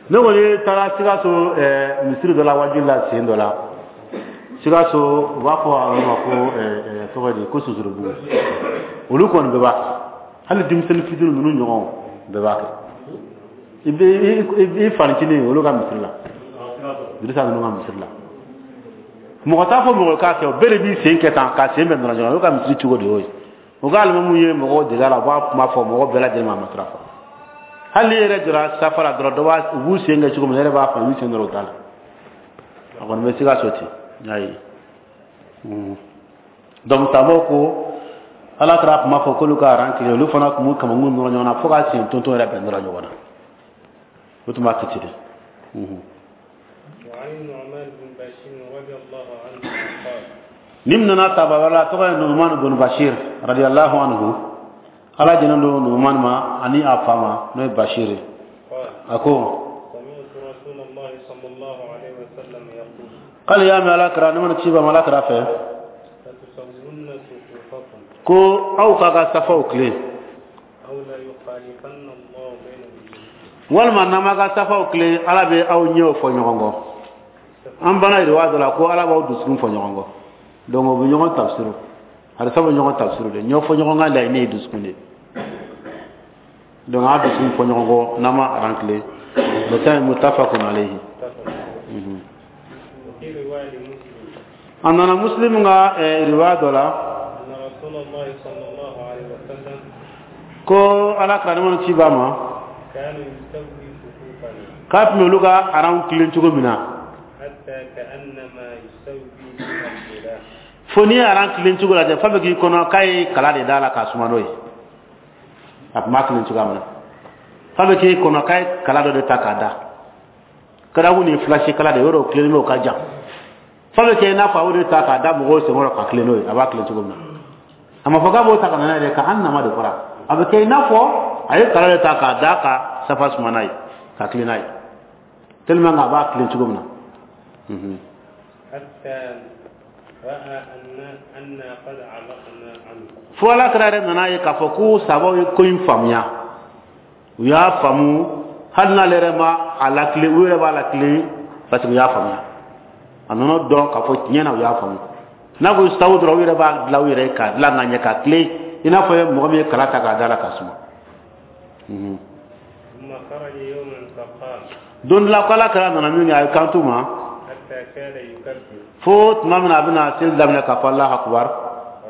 Ne kɔni taara Sikaso misiri dɔ la, wajibi la sen dɔ la Sikaso, u b'a fɔ a yɔrɔ ma ko tɔgɔ di, ko Sosorubugu. Olu kɔni bɛɛ b'a kɛ, hali denmisɛnnin fitinin ninnu ɲɔgɔn bɛɛ b'a kɛ. I bɛ i fanicinin olu ka misiri la, Dirisa ninnu ka misiri la, mɔgɔ t'a fɔ mɔgɔ k'a kɛ, o bɛɛ de b'i sen kɛ tan k'a sen bɛɛ nɔrɔ ɲɔgɔn na. Olu ka misiri cogo de y'o ye. U ka alimamu ye mɔgɔw dege a la, u b'a kuma fɔ mɔgɔ bɛɛ lajɛlen ma, a matarafa. Hali n'i yɛrɛ jɔra safa la dɔrɔn, dɔ b'a u b'u sen kɛ cogo min na, e yɛrɛ b'a faamu, u b'u sen dɔrɔn u t'a la. A kɔni bɛ Sikaso ten, n y'a ye. Donc sabaw ko ala kɛra kuma fɔ k'olu ka aran kelen, olu fana tun b'u kamankun nɔrɔ ɲɔgɔn na fo ka sen tonton yɛrɛ bɛɛ nɔrɔ ɲɔgɔn na. O tun b'a kɛ ten de. Nin nana sahaba wɛrɛ la, tɔgɔ ye Nu'man bin Bashir radiyallahu anhu. Ala jɛnnen don Nu'man ma ani a fa ma, n'o ye Bashir ye. A ko k'ale y'a mɛn ala kira, ne mana ci ba ma ala kira fɛ, ko aw k'a ka safaw tilen, walima n'an m'a ka safaw tilen, ala bɛ aw ɲɛw fɔ ɲɔgɔn kɔ. An bana yiriwa dɔ la ko ala b'aw dusukun fɔ ɲɔgɔn kɔ. Donc o bɛ ɲɔgɔn tafsiru, hadisa bɛ ɲɔgɔn tafsiru de, ɲɔ fɔ ɲɔgɔn kan laɲini ye dusukun de. Donc a dusukun fɔ ɲɔgɔn kɔ n'an ma aran tilen. Bɛtan muttafaqun alayhi. وفي رواية لمسلم A nana Muslim ka riwaya dɔ la أن رسول الله صلى الله عليه وسلم ko ala kira ni ci b'a ma كان يسوي صفوفنا k'a tun bɛ olu ka aranw tilen cogo min na حتى كأنما يسوي بها الغلاف fo n'i ye aran tilen cogo lajɛ f'a bɛ k'i kɔnɔ k'a ye kala de d'a la k'a suma n'o ye. A tun b'a tilen cogoya min na, f'a bɛ k'i kɔnɔ k'a ye kala dɔ de ta k'a da kalaku ni filasi kala de yɔrɔ o tilennen bɛ, o ka jan, f'a bɛ kɛ i n'a fɔ a y'o de ta k'a da mɔgɔw senkɔrɔ ka tilen n'o ye. A b'a tilen cogo min na, a ma fɔ k'a b'o ta ka na n'a ye dɛ, ka an nama de fɔra. A bɛ kɛ i n'a fɔ a ye kala de ta k'a da ka safa suma n'a ye, ka tilen n'a ye, tellement que a b'a tilen cogo min na. حتى رأى أن أنا قد علقنا عنه. Fo ala kira yɛrɛ nana ye k'a fɔ ko sabaw ye ko in faamuya, u y'a faamu, hali n'ale yɛrɛ ma a lakile, u yɛrɛ b'a lakile parce que u y'a faamuya. A nana dɔn k'a fɔ tiɲɛ na u y'a faamu. N'a ko sabu dɔrɔn, u yɛrɛ b'a dilan u yɛrɛ ye k'a dilan ka ɲɛ ka tilen i n'a fɔ mɔgɔ min ye kala ta k'a da la k'a suma. ثم خرج يوما فقال Don dɔ la ko ala kira nana min kɛ, a ye kan t'u ma حتى كان يكبر fo tuma min na a bɛna seli daminɛ k'a fɔ Alahu akubar.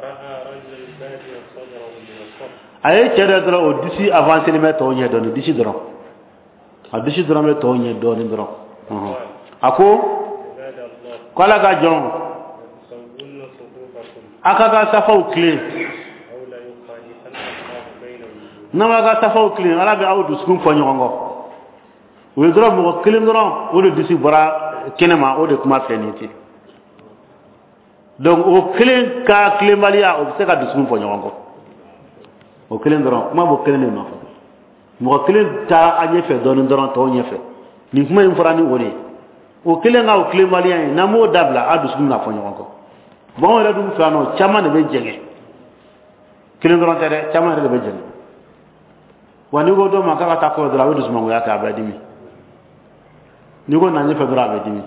رأى رجلا باديا صدره من الصف. A ye cɛ dɔ dɔrɔn, o disi avancé bɛ tɔw ɲɛ dɔɔnin, disi dɔrɔn, a disi dɔrɔn bɛ tɔw ɲɛ dɔɔnin dɔrɔn. A ko عباد الله ko ala ka jɔn لتسون صفوفكم a ka ka safaw tilen أو ليخالفن الله بين وجوهكم. N'a ma ka safaw tilen, ala bɛ aw dusukun fɔ ɲɔgɔn kɔ. O ye dɔrɔn mɔgɔ kelen dɔrɔn, o de disi bɔra kɛnɛ ma, o de kuma filɛ nin ye ten. Donc o kelen ka tilenbaliya, o bɛ se ka dusukun fɔ ɲɔgɔn kɔ, o kelen dɔrɔn. Kuma b'o kelen de nɔfɛ. Mɔgɔ kelen taa a ɲɛfɛ dɔɔnin dɔrɔn tɔw ɲɛfɛ. Nin kuma in fɔra ni o de ye, o kelen ka o tilenbaliya in, n'an m'o dabila, a dusukun bɛna fɔ ɲɔgɔn kɔ. Bon, anw yɛrɛ dun fɛ yan nɔ, caman de bɛ jɛngɛ, kelen dɔrɔn tɛ dɛ, caman yɛrɛ de bɛ jɛngɛ. Wa n'i ko dɔ ma k'a ka taa kɔfɛ dɔrɔn, a bɛ dusumangoya kɛ, a bɛ dimi. N'i ko na ɲɛfɛ dɔrɔn, a bɛ dimi.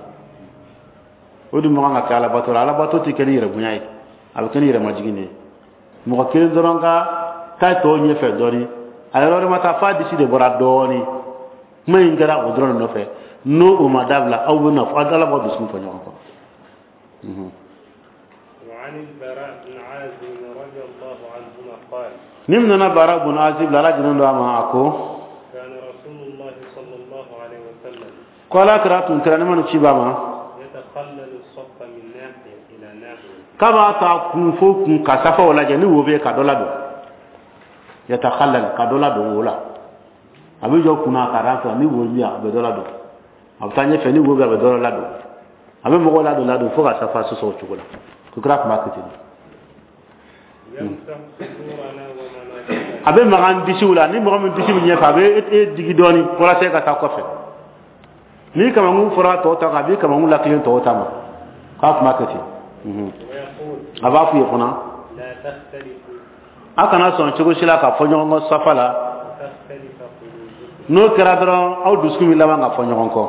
O dun man kan ka kɛ alabato la. Alabato tɛ kɛ ni yɛrɛ bonya ye, a bɛ kɛ ni yɛrɛmajigin de ye. Mɔgɔ kelen dɔrɔn ka taa tɔw ɲɛfɛ dɔɔnin, a yɔrɔ wɛrɛ ma taa f'a disi de bɔra dɔɔnin. Kuma in kɛra o dɔrɔn de nɔfɛ. N'o o ma dabila, aw bɛ na fɔ ala b'aw dusukun fɔ ɲɔgɔn kɔ. وعن البراء بن عازب رضي الله عنهما قال Ni min nana Bara bun Azib la, ala jɛnnen don a ma, a ko كان رسول الله صلى الله عليه وسلم ko ala kira tun kɛra ne ma ni ci b'a ma يتخلل الصف من ناحية إلى ناحية. K'a b'a ta kun fo kun ka safaw lajɛ ni wo bɛ yen ka dɔ ladon. Yatakhallal, ka dɔ ladon wo la. A bɛ jɔ kunna ka ran fɛ, ni wo bɛ yen, a bɛ dɔ ladon. A bɛ taa ɲɛfɛ, ni wo bɛ yen, a bɛ dɔ ladon. A bɛ mɔgɔw ladon ladon fo ka safa sɔsɔ o cogo la. Ko kira tun b'a kɛ ten. يمسح صدورنا ومناكبنا. A bɛ maga an disiw la. Ni mɔgɔ min disi bɛ ɲɛfɛ, a bɛ e digi dɔɔni walasa e ka taa kɔfɛ. Ni kamankun fɔra tɔw ta kan, a b'i kamankun lakilen tɔw ta ma, k'a tun b'a kɛ ten. ويقول A b'a f'u ye fana لا تختلفوا a kana sɔn cogo si la ka fɔ ɲɔgɔn kɔ safa la. فتختلف قلوبكم. N'o kɛra dɔrɔn, aw dusukun bɛ laban ka fɔ ɲɔgɔn kɔ.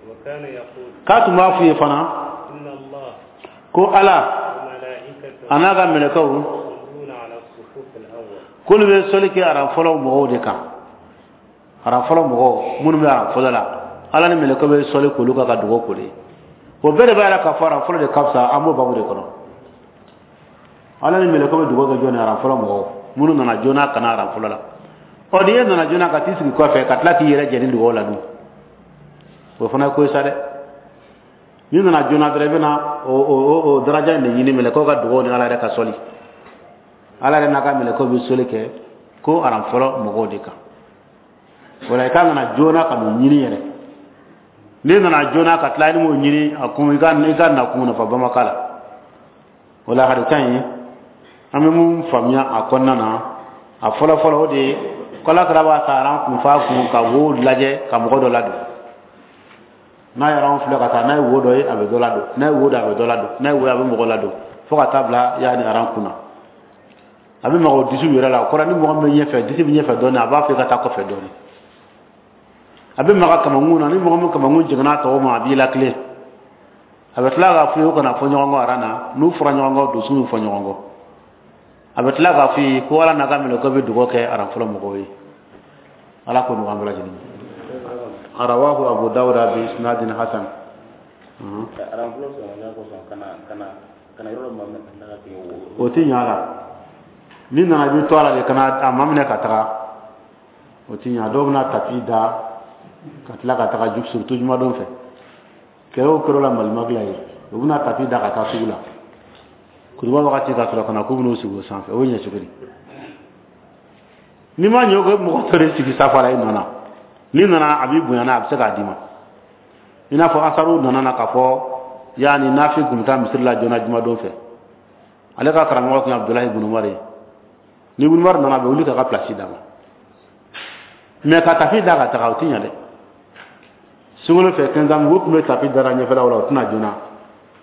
وكان يقول K'a tun b'a f'u ye fana إن الله ko ala وملائكته a n'a ka mɛlɛkɛw يصلون على الصفوف الأول. K'olu bɛ sɔli kɛ aran fɔlɔ mɔgɔw de kan. Aran fɔlɔ mɔgɔw minnu bɛ aran fɔlɔ la, ala ni mɛlɛkɛw bɛ sɔli k'olu kan ka dugawu k'olu ye. O bɛɛ de b'a yira k'a fɔ aran fɔlɔ de ka fisa. An b'o babu de kɔnɔ. Ala ni mɛlɛkɛw bɛ dugawu kɛ jɔn ye? Aran fɔlɔ mɔgɔw minnu nana joona ka na aran fɔlɔ la. Ɔ, ni e nana joona ka t'i sigi kɔfɛ ka tila k'i yɛrɛ jɛ ni dugawu la dun, o fana ye ko ye sa dɛ. N'i nana joona dɔrɔn, i bɛna o daraja in de ɲini, mɛlɛkɛw ka dugawu ni ala yɛrɛ ka sɔli. Ala yɛrɛ n'a ka mɛlɛkɛw bɛ sɔli kɛ ko aran fɔlɔ mɔgɔw de kan. O la, i ka nana joona ka n'o ɲini yɛrɛ. N'i nana joona ka tila i m'o ɲini, a kun i ka nakun nafa bamaka la. O la, hadisa in, an bɛ mun faamuya a kɔnɔna na? A fɔlɔ fɔlɔ, o de ye ko ala kira b'a ta aran kun f'a kun ka wo lajɛ ka mɔgɔ dɔ ladon. N'a ye aran filɛ ka taa, n'a ye wo dɔ ye, a bɛ dɔ ladon. N'a ye wo dɔ, a bɛ dɔ ladon. N'a ye wo ye, a bɛ mɔgɔ ladon fo ka taa bila yaani aran kun na. A bɛ maga o disiw yɛrɛ la. O kɔrɔ, ni mɔgɔ min bɛ ɲɛfɛ, disi bɛ ɲɛfɛ dɔɔnin, a b'a fɔ i ka taa kɔfɛ dɔɔnin. A bɛ maga kamankun na. Ni mɔgɔ min kamankun jiginna tɔw ma, a b'i lakilen. A bɛ tila k'a f'i ye o kana fɔ ɲɔgɔn kɔ aran na. N'u fɔra ɲɔgɔn kɔ, dusu bɛ fɔ ɲɔgɔn kɔ. A bɛ tila k'a f'i ye ko ala n'a ka mɛlɛkɛw bɛ dugawu kɛ aran fɔlɔ mɔgɔw ye. Ala k'o nɔgɔya an bɛɛ lajɛlen ye. Rawahu Abu Dawuda bi isnadin hasan. O ti ɲa la. N'i nana i bɛ to a la de ka na a maminɛ ka taga, o ti ɲa. Dɔw bɛna tapi da ka tila ka taga surtout jumadon fɛ, kɛlɛ o kɛr'o la malimagila ye, u bɛna tapi da ka taa sugu la kutuba wagati ka sɔrɔ ka na k'u bɛn'u sigi o sanfɛ. O bɛ ɲɛ cogo di? N'i ma ɲɛ o ko mɔgɔ tɔ de sigi safa la i nɔ na, n'i nana a b'i bonya n'a a bɛ se k'a d'i ma. I n'a fɔ asaru nana na k'a fɔ yaani Nafi tun bɛ taa misiri la joona jumadon fɛ, ale ka karamɔgɔ tun ye Abudulayi ibn Umar ye. Ni ibn Umar nana, a bɛ wuli k'a ka place d'a ma, mais ka tapi da ka taga, o ti ɲɛ dɛ. Sunkalo fɛ 15 ans, u tun bɛ tapi dara ɲɛfɛlaw la, o tɛna joona.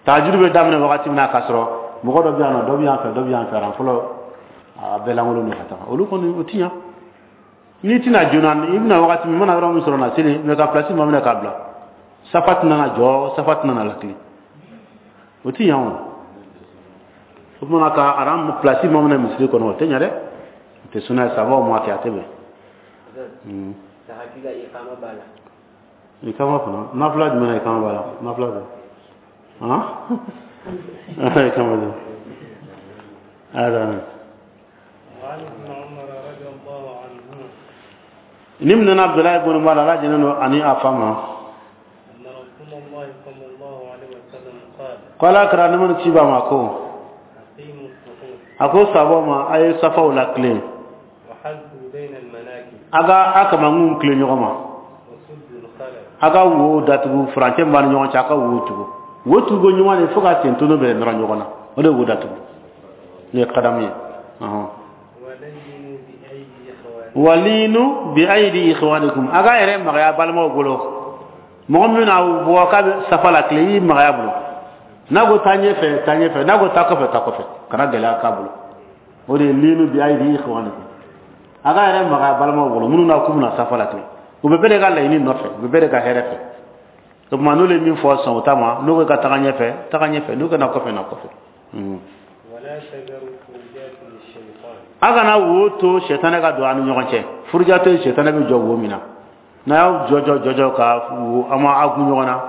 Tahajuru bɛ daminɛ wagati min na, k'a sɔrɔ mɔgɔ dɔ bɛ yan nɔ, dɔ bɛ yan fɛ, dɔ bɛ yan fɛ, aran fɔlɔ a bɛɛ lankolon don ka taga, olu kɔni o ti ɲɛ. N'i tɛna joona, i bɛna wagati min, i mana yɔrɔ min sɔrɔ na seli, mais ka place maminɛ k'a bila, safa tɛna na jɔ, safa tɛna na lakile, o ti ɲɛ. O tuma ka aran place maminɛ misiri kɔnɔ, o tɛ ɲɛ dɛ, o tɛ suna ye, sabaw ma kɛ, a tɛ bɛn. Ikama fana nafila jumɛn na? Ikama b'a la, nafila bɛ han, ikama bɛ ada. Ni minɛna Abudulayi ibn Umar, Ala jɛnnen don ani a fa ma, ko Ala kira nɛɛma ni kisi b'a ma ko a ko sabaw ma, a ye safaw lakilen, a ka a kamankun tilen ɲɔgɔn ma, a ka wo datugu, furancɛ min b'a ni ɲɔgɔn cɛ, a ka wo tugu, wo tugu ɲuman de fo ka sen tono bɛɛ nɔrɔ ɲɔgɔn na, o de ye wo datugu, n'o ye kadamu ye. Walinu bi ayidi ikhwanikum, a ka yɛrɛ magaya balimaw bolo. Mɔgɔ min bɛna bɔ k'a bɛ safa la tile, i magaya bolo, n'a ko taa ɲɛfɛ, taa ɲɛfɛ, n'a ko taa kɔfɛ, taa kɔfɛ, kana gɛlɛya k'a bolo. O de ye linu bi ayidi ikhwanikum, a ka yɛrɛ magaya balimaw bolo minnu na k'u bɛna safa la tile, u bɛ bɛɛ de ka laɲini nɔfɛ, u bɛ bɛɛ de ka hɛrɛ fɛ. O tuma n'olu ye min fɔ, sɔn o ta ma. N'u ko ka taga ɲɛfɛ, taga ɲɛfɛ, n'u ka na kɔfɛ, na kɔfɛ. A kana wo to sɛtanɛ ka don an ni ɲɔgɔn cɛ. Furuja to yen, sɛtanɛ bɛ jɔ wo min na, n'a y'aw jɔ jɔ jɔ ka wo, an ma aw kun ɲɔgɔn na,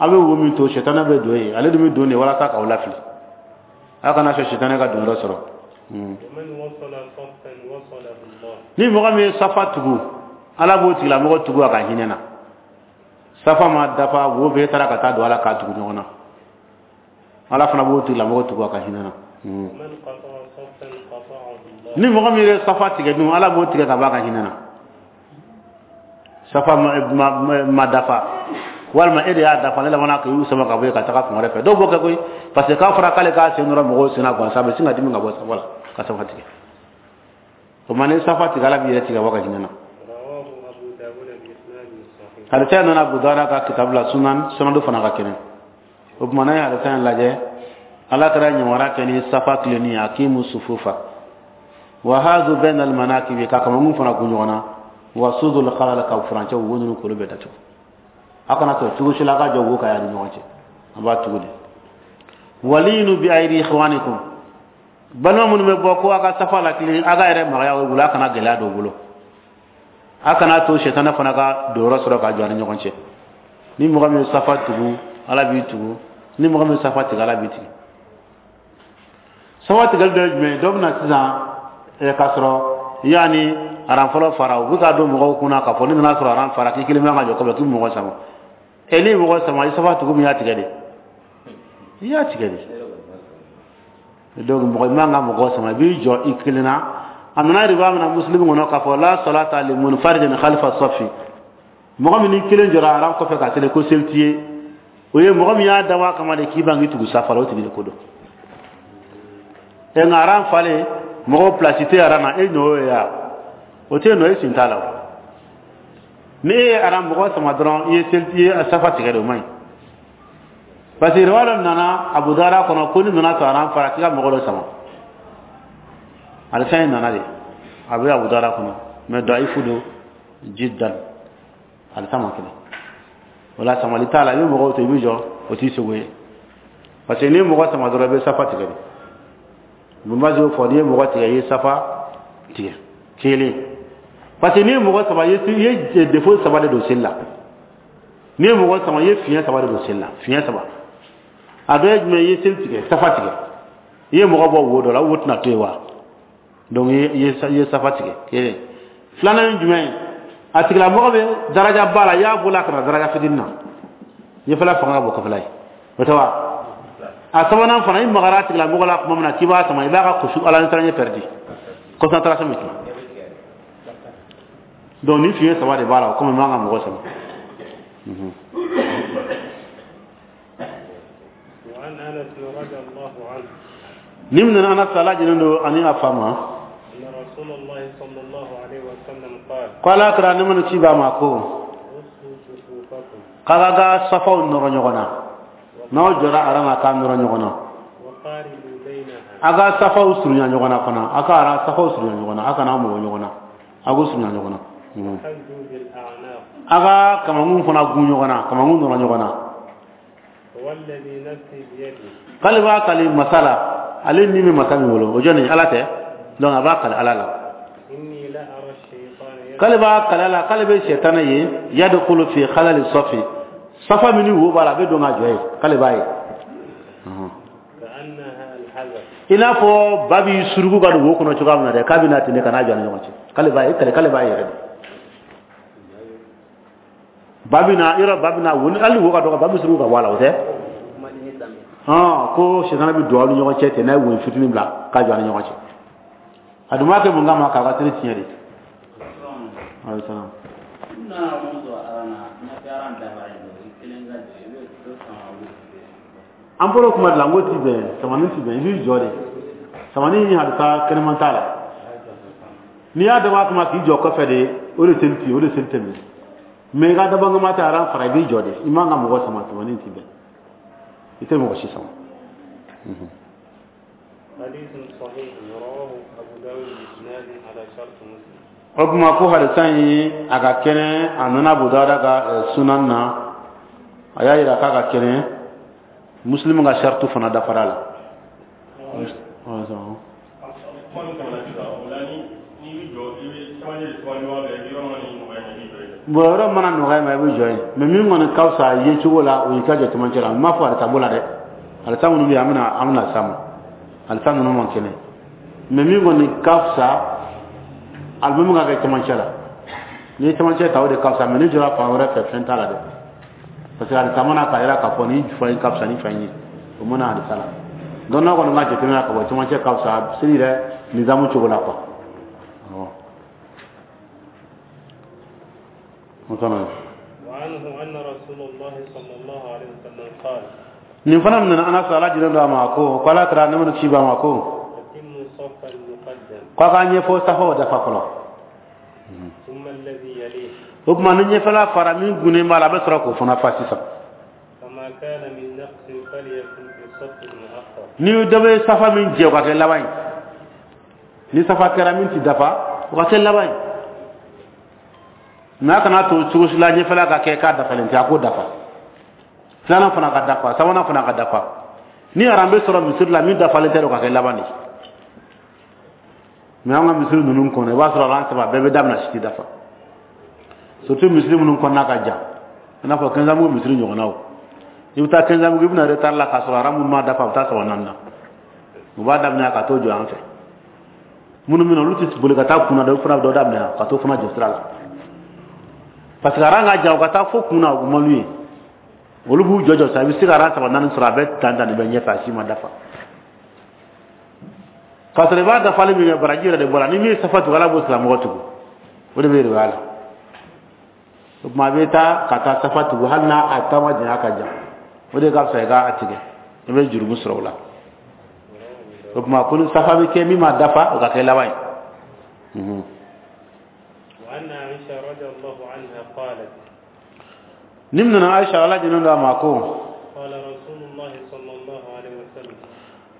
aw bɛ wo min to, sɛtanɛ bɛ don yen, ale dun bɛ don de walasa k'aw lafili. A kana sɔn sɛtanɛ ka don yɔrɔ sɔrɔ. Ni mɔgɔ min ye safa tugu, Ala b'o tigilamɔgɔ tugu a ka hinɛ na. Safa ma dafa, wo bɛɛ taara ka taa don ala k'a tugu ɲɔgɔn na, Ala fana b'o tigilamɔgɔ tugu a ka hinɛ na. Ni mɔgɔ min ye safa tigɛ dun, Ala b'o tigɛ ka bɔ a ka hinɛ na. Safa ma dafa, walima e de y'a dafa, ne labanna k'i sama ka bɔ yen ka taga fan wɛrɛ fɛ. Dɔw b'o kɛ koyi, parce que k'a fɔra k'ale k'a sen nɔrɔ mɔgɔw sen na gansan, a bɛ sin ka dimi ka bɔ safa la ka safa tigɛ. O tuma ni safa tigɛ, Ala b'i yɛrɛ tigɛ ka bɔ a ka hinɛ na. Hadisa nana Abu Dawuda ka kitabu la, sunan sanadu fana ka kɛnɛ. O tuma n'an ye hadisa in lajɛ, Ala kɛra ɲamara kɛ ni safa tilenni ye, akimu sufufa wa hazu bayna almanakibi, ka kamankun fana kun ɲɔgɔn na, wa sudul khalal, ka furancɛ wo ninnu k'olu bɛɛ datugu. A kana sɔn cogo si la a ka jɔ wo ka y'a ni ɲɔgɔn cɛ, an b'a tugu de. Walinu bi ayidi ikhwanikum, balima minnu bɛ bɔ ko a ka safa la tilen, a ka yɛrɛ magaya o bolo, a kana gɛlɛya don o bolo, a kana to sɛtanɛ fana ka don yɔrɔ sɔrɔ ka jɔ a ni ɲɔgɔn cɛ. Ni mɔgɔ min ye safa tugu, Ala b'i tugu, ni mɔgɔ min ye safa tigɛ, Ala b'i tigɛ. Safa tigɛli dɔ ye jumɛn ye? Dɔ bɛ na sisan k'a sɔrɔ yaani aran fɔlɔ fara, u bɛ k'a don mɔgɔw kunna k'a fɔ ni nana sɔrɔ aran fara, k'i kelen bɛ ka jɔ kɔfɛ, k'i bɛ mɔgɔ sama. N'i ye mɔgɔ sama, i safa tugu min y'a tigɛ de, i y'a tigɛ de. Donc mɔgɔ i man ka mɔgɔ sama, i b'i jɔ i kelen na. A nana riwaya min na Muslim kɔnɔ k'a fɔ la salata li munfaridin khalfa safi, mɔgɔ min n'i kelen jɔra aran kɔfɛ ka seli ko seli t'i ye, o ye mɔgɔ min y'a dabɔ a kama de k'i ban k'i tugu safa la, o tigi de ko don. Nka aran falen, mɔgɔw place tɛ aran na, e nɔ y'o ye wa? O tɛ nɔ, e sen t'a la o. Ni e ye aran mɔgɔ sama dɔrɔn, i ye seli, i ye safa tigɛ de, o man ɲi. Parce que riwaya dɔ nana Abu Dawuda kɔnɔ ko ni nana sɔrɔ aran fara, k'i ka mɔgɔ dɔ sama. Hadisa in nana de, a bɛ Abu Dawuda kɔnɔ, mais da'ifu don jiddan, hadisa ma kɛnɛ. O la samali t'a la, i bɛ mɔgɔw to i bɛ jɔ, o t'i sogo ye. Parce que n'i ye mɔgɔ sama dɔrɔn, i bɛ safa tigɛ de. Ibn y'o fɔ, n'i ye mɔgɔ tigɛ, i ye safa tigɛ kelen. Parce que n'i ye mɔgɔ sama, i ye défaut saba de don seli la. N'i ye mɔgɔ sama, i ye fiɲɛ saba de don seli la, fiɲɛ saba. A dɔ ye jumɛn? I ye seli tigɛ, safa tigɛ. I ye mɔgɔ bɔ wo dɔ la, wo tɛna to yen wa? Donc i ye safa tigɛ kelen. Filanan ye jumɛn ye? A tigilamɔgɔ bɛ daraja ba la, i y'a bɔ a ka na daraja fitinin na, ɲɛfɛla fanga ka bon kɔfɛla ye, o tɛ wa? A sabanan fana, i magara a tigilamɔgɔ la tuma min na k'i b'a sama, i b'a ka kusu ala ɲɛsiranɲɛ pɛrɛdi, concentration bɛ tiɲɛ. Donc ni fiɲɛ saba de b'a la, o komi i man ka mɔgɔ sama. Ni min nana Anas, ala jɛnnen don ani a fa ma, ko ala kira ne mana ci b'a ma ko k'a ka safaw nɔrɔ ɲɔgɔn na, n'aw jɔra aran na k'a nɔrɔ ɲɔgɔn na, a ka safaw surunya ɲɔgɔn na fana, a ka aran safaw surunya ɲɔgɔn na, a kana mɔgɔ ɲɔgɔn na, a k'u surunya ɲɔgɔn na. A ka kamankun fana gun ɲɔgɔn na, kamankun nɔrɔ ɲɔgɔn na. K'ale b'a kali masa la, ale ni bɛ masa min bolo, o jɔn ala tɛ, donc a b'a kali ala la. K'ale b'a kali ala, k'ale bɛ sɛtanɛ ye, yadkhulu fi khalali safi, safa min ni wo b'a la, a bɛ don ka jɔ yen, k'ale b'a ye. I n'a fɔ ba b'i suruku ka don wo kɔnɔ cogoya min na dɛ, k'a bɛ na ten de ka n'a jɔ a ni ɲɔgɔn cɛ, k'ale b'a ye, k'ale b'a ye yɛrɛ de. Ba bɛ na yɔrɔ, ba bɛ na wo, hali wo ka dɔgɔ, ba bɛ suruku ka bɔ a la, o tɛ? Ko sɛtanɛ bɛ don aw ni ɲɔgɔn cɛ ten, n'a ye woyo fitinin bila k'a jɔ a ni ɲɔgɔn cɛ. A dun b'a kɛ mun kama? K'a ka seli tiɲɛ de. An bɔra kuma de la, n ko ti bɛn, samani ti bɛn, i b'i jɔ de. Samani ni hadisa kɛnɛman t'a la. N'i y'a dabɔ a kama k'i jɔ kɔfɛ de, o de seli ti, o de seli tɛ minɛ. Mais i ka dabɔ kama tɛ aran fara, i b'i jɔ de. I man ka mɔgɔ sama, samani ti bɛn. I tɛ mɔgɔ si sama. O tuma ko hadisa in a ka kɛnɛ, a nana Abu Dawuda ka sunan na, a y'a yira k'a ka kɛnɛ, Muslim ka shartu fana dafara la. Bon, yɔrɔ mana nɔgɔya ma, i bɛ jɔ yen, mais min kɔni ka fisa ye cogo la, o y'i ka jɔ cɛmancɛ la. N m'a fɔ hadisa b'o la dɛ, hadisa minnu bɛ yen, an bɛna s'a ma, hadisa ninnu man kɛnɛ, mais min kɔni ka fisa, alimami ka kɛ cɛmancɛ la. N'i ye cɛmancɛ ta, o de ka fisa, mais n'i jɔra fan wɛrɛ fɛ, fɛn t'a la dɛ, parce que hadisa mana k'a yira k'a fɔ ni fan in ka fisa ni fan in ye, o mana hadisa la. Donc n'a kɔni ka jateminɛ ka bɔ cɛmancɛ ka fisa seli yɛrɛ nizamu cogo la quoi. Nin fana minɛ Anas, ala jɛnnen don a ma, ko ala kira ne mana ci b'a ma ko k'a ka ɲɛfɔ safaw dafa fɔlɔ. O tuma ni ɲɛfɛla fara, min gunnen b'a la, a bɛ sɔrɔ k'o fana fa sisan. Ni dɔ bɛ safa min jɛ, o ka kɛ laban ye. Ni safa kɛra min ti dafa, o ka kɛ laban ye. Mais a kana to cogo si la ɲɛfɛla ka kɛ k'a dafalen tɛ, a k'o dafa. Filanan fana ka dafa, sabanan fana ka dafa. Ni aran bɛ sɔrɔ misiri la min dafalen tɛ, o ka kɛ laban de. Mais an ka misiri ninnu kɔnɔ, i b'a sɔrɔ aran saba bɛɛ bɛ daminɛ, si tɛ dafa. Surtout misiri minnu kɔnɔna ka jan, i n'a fɔ Kɛnzanbugu misiri ɲɔgɔnnaw. I bɛ taa Kɛnzanbugu, i bɛna retard la k'a sɔrɔ aran minnu ma dafa, a bɛ taa saba naani na. U b'a daminɛ ka t'o jɔ an fɛ. Minnu bɛ na, olu tɛ boli ka taa kunna dɛ, olu fana bɛ dɔ daminɛ ka t'o fana jɔ sira la. Parce que aran ka jan, u ka taa fo kunna, u man d'u ye. Olu b'u jɔ jɔ sa, i bɛ se ka aran saba naani sɔrɔ, a bɛ tan tan de bɛ ɲɛfɛ, a si ma dafa. K'a sɔrɔ i b'a dafali min kɛ, baraji yɛrɛ de bɔra. Ni min ye safa tugu, ala b'o tigilamɔgɔ tugu. O de bɛ yɛrɛ la. O tuma a bɛ taa ka taa safa tugu, hali n'a a taama janya ka jan, o de ka fisa i k'a tigɛ, i bɛ jurumu sɔrɔ o la. O tuma ko ni safa bɛ kɛ min ma dafa, o ka kɛ laban ye. Ni nana Aisha, ala jɛnnen don a ma, ko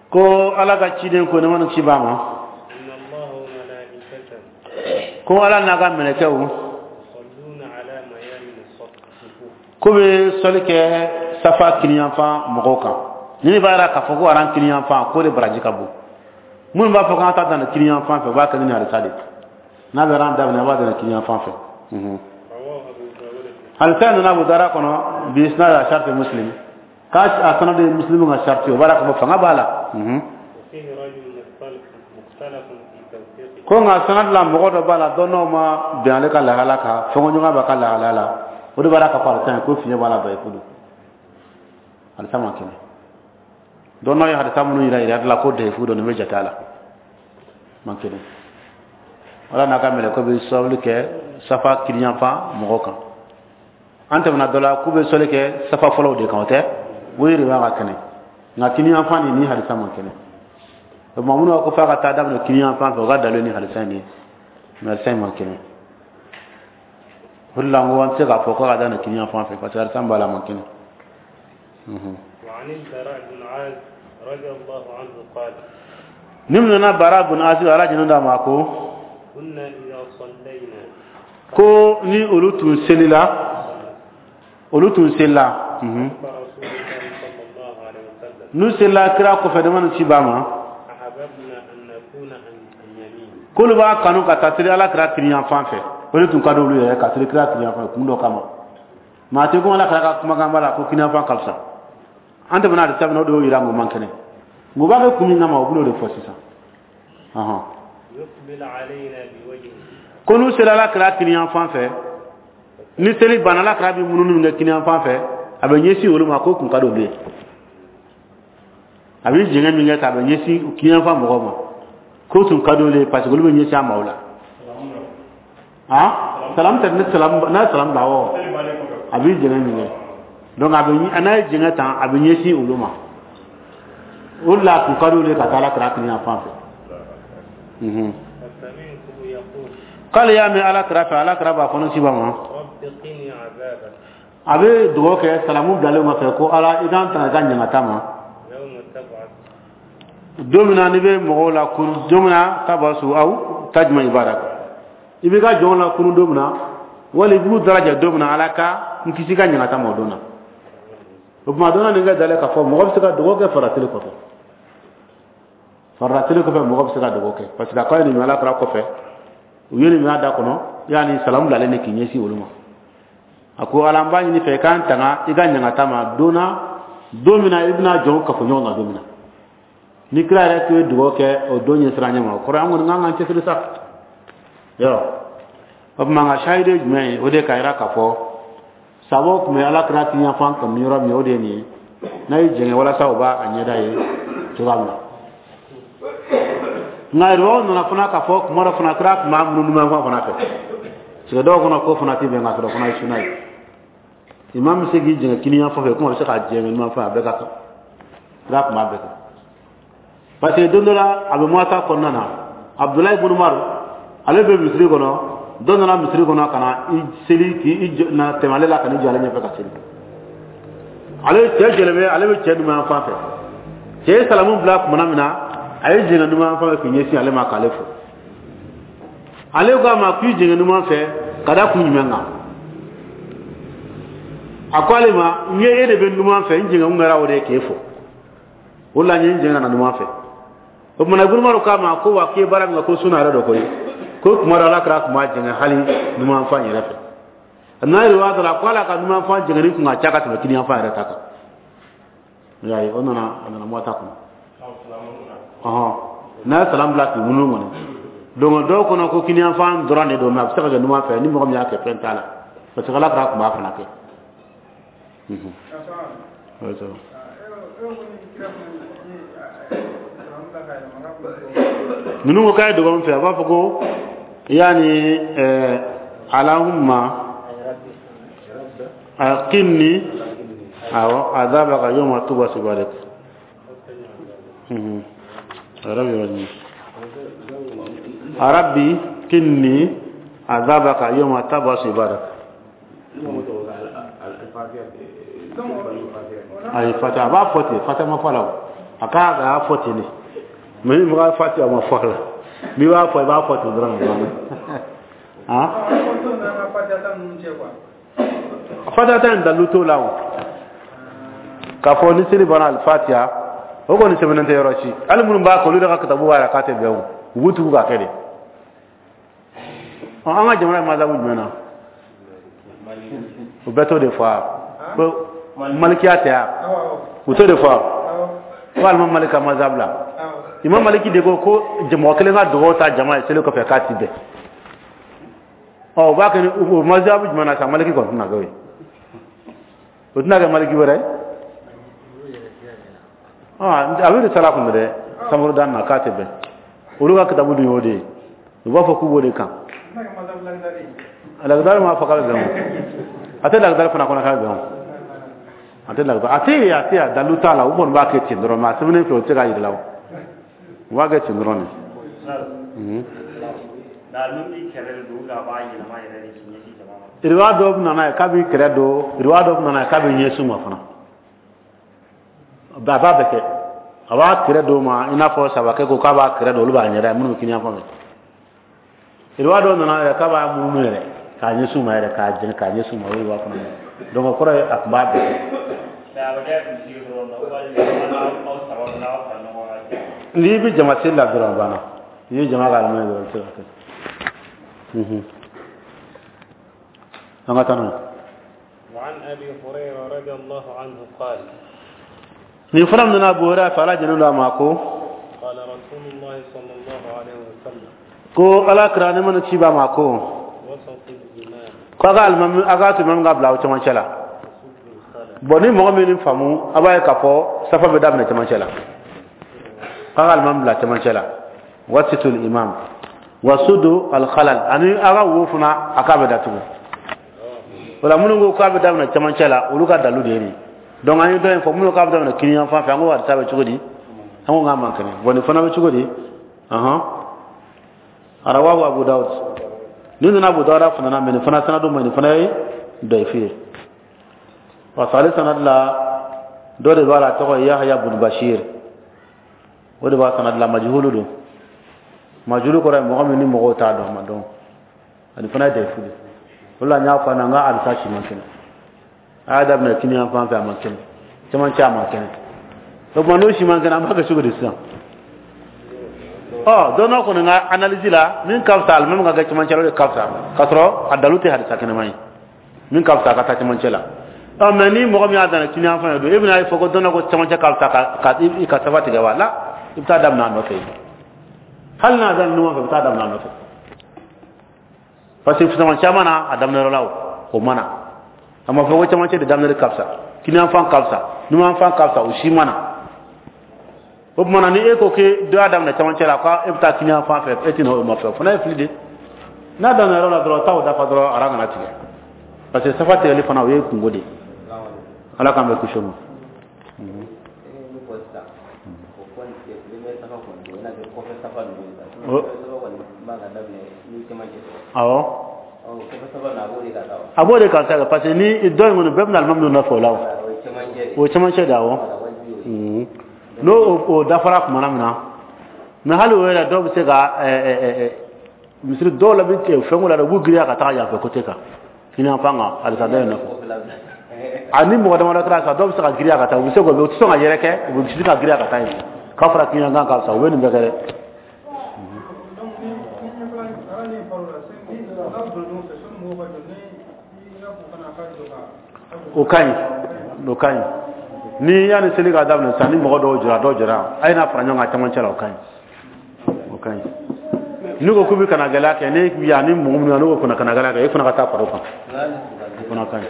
ko ala ka ciden ko ne mana ci b'a ma, ko ala n'a ka mɛlɛkɛw ko bɛ sɔli kɛ safa kiniyanfan mɔgɔw kan. Ni ne b'a yira k'a fɔ ko aran kiniyanfan k'o de baraji ka bon. Minnu b'a fɔ k'an ta dan kiniyanfan fɛ, u b'a kɛ ni hadisa de. N'a bɛ aran daminɛ, a b'a daminɛ kiniyanfan fɛ. Hadisa nana Abu Dara kɔnɔ bi isnad a sharti Muslim k'a a sanad ye Muslim ka sharti o b'a la k'a fɔ fanga b'a la. Ko nka sanad la mɔgɔ dɔ b'a la dɔnnaw ma bɛn ale ka lahala kan, fɔnkɔɲɔgɔnya b'a ka lahala la, o de b'a la k'a fɔ hadisa in ko fiɲɛ b'a la dayifu don, hadisa ma kɛnɛ. Dɔnnaw ye hadisa minnu yira yira la ko dayifu don, nin bɛ jate a la man kɛnɛ. Ala n'a ka mɛlɛkɛ bɛ sɔli kɛ safa kiriyanfan mɔgɔ kan. An tɛmɛna dɔ la k'u bɛ sɔli kɛ safa fɔlɔw de kan, o tɛ o yɛrɛ b'a ka kɛnɛ, nka kiniyanfan nin ni hadisa man kɛnɛ. O tuma minnu ko f'a ka taa daminɛ kiniyanfan fɛ, o ka dalu ni hadisa in ye, mɛ hadisa in man kɛnɛ. O de la n ko an tɛ se k'a fɔ k'a ka daminɛ kiniyanfan fɛ, parce que hadisa b'a la man kɛnɛ. Ni min nana Bara bun Azib, Ala jɛnna d'a ma, ko ko ni olu tun selila, olu tun selila, n'u selila kira kɔfɛ dama ni ci b'a ma, k'olu b'a kanu ka taa seli Ala kira kiriyanfan fɛ. O de tun ka di olu yɛrɛ ka seli kira kiriyanfan fɛ kun dɔ kama. Maa tɛ ko Ala kira ka kumakan b'a la ko kiriyanfan ka fisa. An tɛmɛna hadisa min na, o de y'o yira n ko man kɛnɛ. Nka u b'a kɛ kun min kama, o bɛn'o de fɔ sisan. Ko n'u sera Ala kira kiriyanfan fɛ, ni seli banna, Ala kira bɛ munumunu min kɛ kiniyanfan fɛ, a bɛ ɲɛsin olu ma, k'o kun ka di olu ye. A bɛ jɛngɛ min kɛ k'a bɛ ɲɛsin kiniyanfan mɔgɔw ma, k'o tun ka di olu ye, parce que olu bɛ ɲɛsin a ma o la. Salamu tɛ ne salamu n'a ye salamu bila awɔ, a bɛ jɛngɛ min kɛ, donc a bɛ n'a ye jɛngɛ tan, a bɛ ɲɛsin olu ma. O de la a kun ka di olu ye ka taa Ala kira kiniyanfan fɛ. K'ale y'a mɛn Ala kira fɛ, Ala kira b'a fɔ ne ci ba ma, a bɛ dugawu kɛ salamu bilalen kɔfɛ ko Ala i k'an tanga i ka ɲangata ma don min na n'i bɛ mɔgɔw la kunu, don min na tabasu aw tajma ibadak, i b'i ka jɔnw la kunu don min na, wali i b'u daraja don min na, Ala ka n kisi ka ɲangata ma o don na. O tuma don na nin ka dalen k'a fɔ mɔgɔ bɛ se ka dugawu kɛ faratili kɔfɛ, faratili kɔfɛ mɔgɔ bɛ se ka dugawu kɛ, parce que a k'a ye nin mɛn Ala kira kɔfɛ, u ye nin mɛn a da kɔnɔ, yanni salamu bilalen de k'i ɲɛsin olu ma. A ko Ala n b'a ɲini fɛ i k'an tanga i ka ɲangata ma don na, don min na i bɛna jɔnw kafo ɲɔgɔn kan don min na. Ni kira yɛrɛ tun ye dugawu kɛ o don ɲɛsiran ɲɛ ma, o kɔrɔ an kɔni k'an k'an cɛsiri sa. Yɔrɔ o tuma nka sahidi ye jumɛn ye? O de k'a yira k'a fɔ sabaw tun bɛ Ala kira kiniyanfan kanu yɔrɔ min, o de ye nin ye. N'a y'i jɛngɛ walasa o b'a ɲɛda ye cogoya min na. Nka riwayaw nana fana k'a fɔ kuma dɔ fana kira tun b'a munumunu fana fɛ, parce que dɔw kɔnɔ ko fana tɛ bɛn k'a sɔrɔ fana ye suna ye. Imam bɛ se k'i jɛngɛ kiniyanfan fɛ, komi a bɛ se k'a jɛngɛ numanfan, a bɛɛ ka kan. Kira tun b'a bɛɛ kɛ. Parce que don dɔ la a bɛ Muwata kɔnɔna na, Abudulayi ibn Umar ale bɛ misiri kɔnɔ, dɔ nana misiri kɔnɔ ka na i seli k'i na tɛmɛ ale la ka n'i jɔ ale ɲɛfɛ ka seli. Ale cɛ jɔlen bɛ, ale bɛ cɛ numanfan fɛ. Cɛ ye salamu bila tuma min na, a ye jɛngɛ numanfan fɛ k'i ɲɛsin ale ma k'ale fo. Ale ko a ma k'i jɛngɛ numan fɛ ka da kun jumɛn kan? A ko ale ma, n ye e de bɛ numan fɛ, n jɛngɛ kun kɛra o de ye k'e fo. O de la n ye n jɛngɛ ka na numan fɛ. O tuma na Ibn Umar k'a ma ko wa k'i ye baara min kɛ ko suna yɛrɛ dɔ koyi, ko kuma dɔ Ala kira tun b'a jɛngɛ hali numanfan yɛrɛ fɛ. N'a ye riwaya dɔ la ko ala ka numanfan jɛngɛni kun ka ca ka tɛmɛ kiniyanfan yɛrɛ ta kan. I y'a ye, o nana a nana Muwata kɔnɔ. N'a ye salam bila k'i munumunu kɔni. Donc dɔw kɔnɔ ko kiniyanfan dɔrɔn de don, mais a bɛ se ka kɛ numan fɛ, ni mɔgɔ min y'a kɛ fɛn t'a la, parce que Ala kira tun b'a fana kɛ. Ninnu ko k'a ye dogo min fɛ, a b'a fɔ ko yaani alahumma aqimni awɔ azabaka yawma tub'asu ibadak. Rabbi qinni azabaka yawma tub'asu ibadak. Ayi fatiha a b'a fɔ ten, fatiha ma fɔ a la o, a k'a y'a fɔ ten de, mais ni mɔgɔ fatiha ma fɔ a la, n'i b'a fɔ i b'a fɔ ten dɔrɔn ka ban. Fatiha ta in dalilu t'o la o, k'a fɔ ni seli banna alifatiha o kɔni sɛbɛnnen tɛ yɔrɔ si, hali minnu b'a kɛ olu yɛrɛ ka kitabu b'a yira k'a tɛ bɛn o, u b'u tugu k'a kɛ de. An ka jamana ye mazabu jumɛn na? O bɛɛ t'o de fɔ wa? Ko malikiya tɛ wa? U t'o de fɔ wa? Ko alimami Maliki ka mazhab la. Imam Maliki de ko ko mɔgɔ kelen ka dugawu ta jama ye seli kɔfɛ k'a ti bɛn. Ɔ, u b'a kɛ ni o mazhab jumɛn na sa? Maliki kɔni tɛna kɛ o ye. O tɛna kɛ Maliki wɛrɛ ye. A bɛ risala kun dɛ, samuru dan na k'a tɛ bɛn. Olu ka kitabu dun y'o de ye. U b'a fɔ k'u b'o de kan. Lakidari m'a fɔ k'a bɛ bɛn o. A tɛ lakidari fana kɔnɔ k'a bɛ bɛn o. A tɛ lakidari, a tɛ yen, a tɛ yen, dalu t'a la. U kɔni b'a kɛ ten dɔrɔn, mais a sɛbɛnnen filɛ, o tɛ se k'a jira la o. U b'a kɛ ten dɔrɔn de. Riwaya dɔw bɛ na n'a ye k'a b'i kɛrɛ don, riwaya dɔw bɛ na n'a ye k'a bɛ ɲɛsin ma fana. A b'a bɛɛ kɛ. A b'a kɛrɛ don ma, i n'a fɔ sabakɛ ko k'a b'a kɛrɛ don, olu b'a ɲɛda ye minnu bɛ kini yan fan fɛ. Riwaya dɔw nana yɛrɛ k'a b'a munumunu yɛrɛ k'a ɲɛsin ma yɛrɛ, k'a jɛn k'a ɲɛsin ma, o ye riwaya fana ye. Donc o kɔrɔ ye a tun b'a bɛɛ kɛ. N'i bɛ jama seli la dɔrɔn, a banna. N'i ye jama ka alimami dɔrɔn, i bɛ se ka kɛ. An ka taa n'a ye. وعن أبي هريرة رضي الله عنه قال Nin fana nana Abu Hurairah fɛ, Ala jɛnnen don a ma, ko قال رسول الله صلى الله عليه وسلم ko Ala kira ne mana ci ba ma ko وسط الإمام ko a ka alimami, a k'a to imam ka bila aw cɛmancɛ la. Bon, ni mɔgɔ min faamu, a b'a ye k'a fɔ safa bɛ daminɛ cɛmancɛ la, k'a ka alimami bila cɛmancɛ la, wasitul imam wasudu alkhalal, ani a ka wo fana a k'a bɛ datugu. O la, minnu ko k'a bɛ daminɛ cɛmancɛ la, olu ka dalu de ye nin. Donc an ye dɔ in fɔ, minnu k'a bɛ daminɛ kini yan fan fɛ, an ko hadisa bɛ cogo di? An ko k'a man kɛnɛ. Bon, nin fana bɛ cogo di? Rawahu Abu Dawud. Ni nana Abu Dawud fana na, mais nin fana sanadu ma, nin fana ye dayifi ye, parce que ale sanad la, dɔ de b'a la, tɔgɔ ye Yahya bun Bashir, o de b'a sanad la, majhulu don. Majhulu kɔrɔ ye mɔgɔ min ni mɔgɔw t'a dɔn, a ma dɔn. Ani fana ye dayifu de. O la, n y'a fɔ a ɲɛna, n ka hadisa si man kɛnɛ. A y'a daminɛ kini yan fan fɛ, a man kɛnɛ, cɛmancɛ, a man kɛnɛ. O tuma, n'o si man kɛnɛ, an b'a kɛ cogo di sisan? Ɔ, dɔn dɔ kɔni ka analyse la, min ka fisa, alimami ka kɛ cɛmancɛ la, o de ka fisa, k'a sɔrɔ a dalu tɛ hadisa kɛnɛma ye. Min ka fisa, a ka taa cɛmancɛ la. Ɔ, mais ni mɔgɔ min y'a daminɛ kini yan fan fɛ don, e bɛna fɔ ko dɔn dɔ ko cɛmancɛ ka fisa ka i ka safa tigɛ wa? La, i bɛ taa daminɛ a nɔfɛ yen. Hali n'a daminɛ ɲɔgɔn fɛ, i bɛ taa daminɛ a nɔfɛ, parce que fisama caman na, a daminɛyɔrɔ la, o ma na. A ma fɔ ko cɛmancɛ de daminɛli ka fisa, kiniyanfan ka fisa, numanfan ka fisa, o si ma na. O tuma na, ni e ko k'e dɔ y'a daminɛ cɛmancɛ la, k'e bɛ taa kiniyanfan fɛ, e tɛna o nɔfɛ, o fana ye fili de. N'a daminɛ yɔrɔ la dɔrɔn, taa o dafa dɔrɔn, ara kana tigɛ, parce que safa tigɛli fana, o ye kungo de ye. Ala k'an bɛ kisi o ma. Awɔ, a b'o de kan sa, parce que ni dɔ in kɔni bɛɛ bɛna alimami nɔfɛ o la, o ye cɛmancɛ de. Awɔ, n'o o dafara tuma min na, mais hali o yɛrɛ, dɔw bɛ se ka misiri dɔw la, bɛ fɛnko la dɛ, u b'u girinya ka taga yanfɛ côté kan, kini yan fan kan, halisa dɔ in nɔfɛ. A ni mɔgɔ damadɔ kɛra sa, dɔw bɛ se ka girinya ka taa, u bɛ se k'o, u tɛ sɔn ka yɛrɛ kɛ, u bɛ se ka girinya ka taa yen k'a fɔra kini yan kan ka fisa, u bɛ nin bɛɛ kɛ dɛ. O ka ɲi, o ka ɲi. Ni yanni seli ka daminɛ sisan, ni mɔgɔ dɔw jɔra, dɔw jɔra, a ye n'a fara ɲɔgɔn kan cɛmancɛ la, o ka ɲi, o ka ɲi. N'u ko k'u bɛ kana gɛlɛya kɛ, ne yan ni mɔgɔ minnu n'u ko kana gɛlɛya kɛ, e fana ka taa fara o kan, o fana ka ɲi.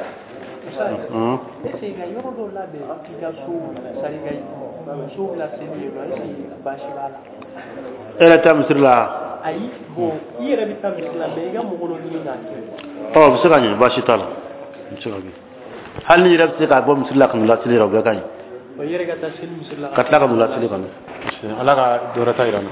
Est-ce que ka yɔrɔ dɔw labɛn i ka so, c'est à dire ka musow laseli yen nɔ, est-ce que baasi b'a la? E yɛrɛ taa misiri la? Ayi, bon, i yɛrɛ bɛ taa misiri la, mais i ka mɔgɔ dɔ ɲini k'a kɛ. Ɔ, o bɛ se ka ɲɛ, baasi t'a la, o bɛ se ka kɛ. Hali n'i yɛrɛ bɛ se ka bɔ misiri la ka n'u laseli yɛrɛ, o bɛɛ ka ɲi. I yɛrɛ ka taa seli misiri la. Ka tila ka n'u laseli ka na. Ala ka dɔ wɛrɛ ta yira n na.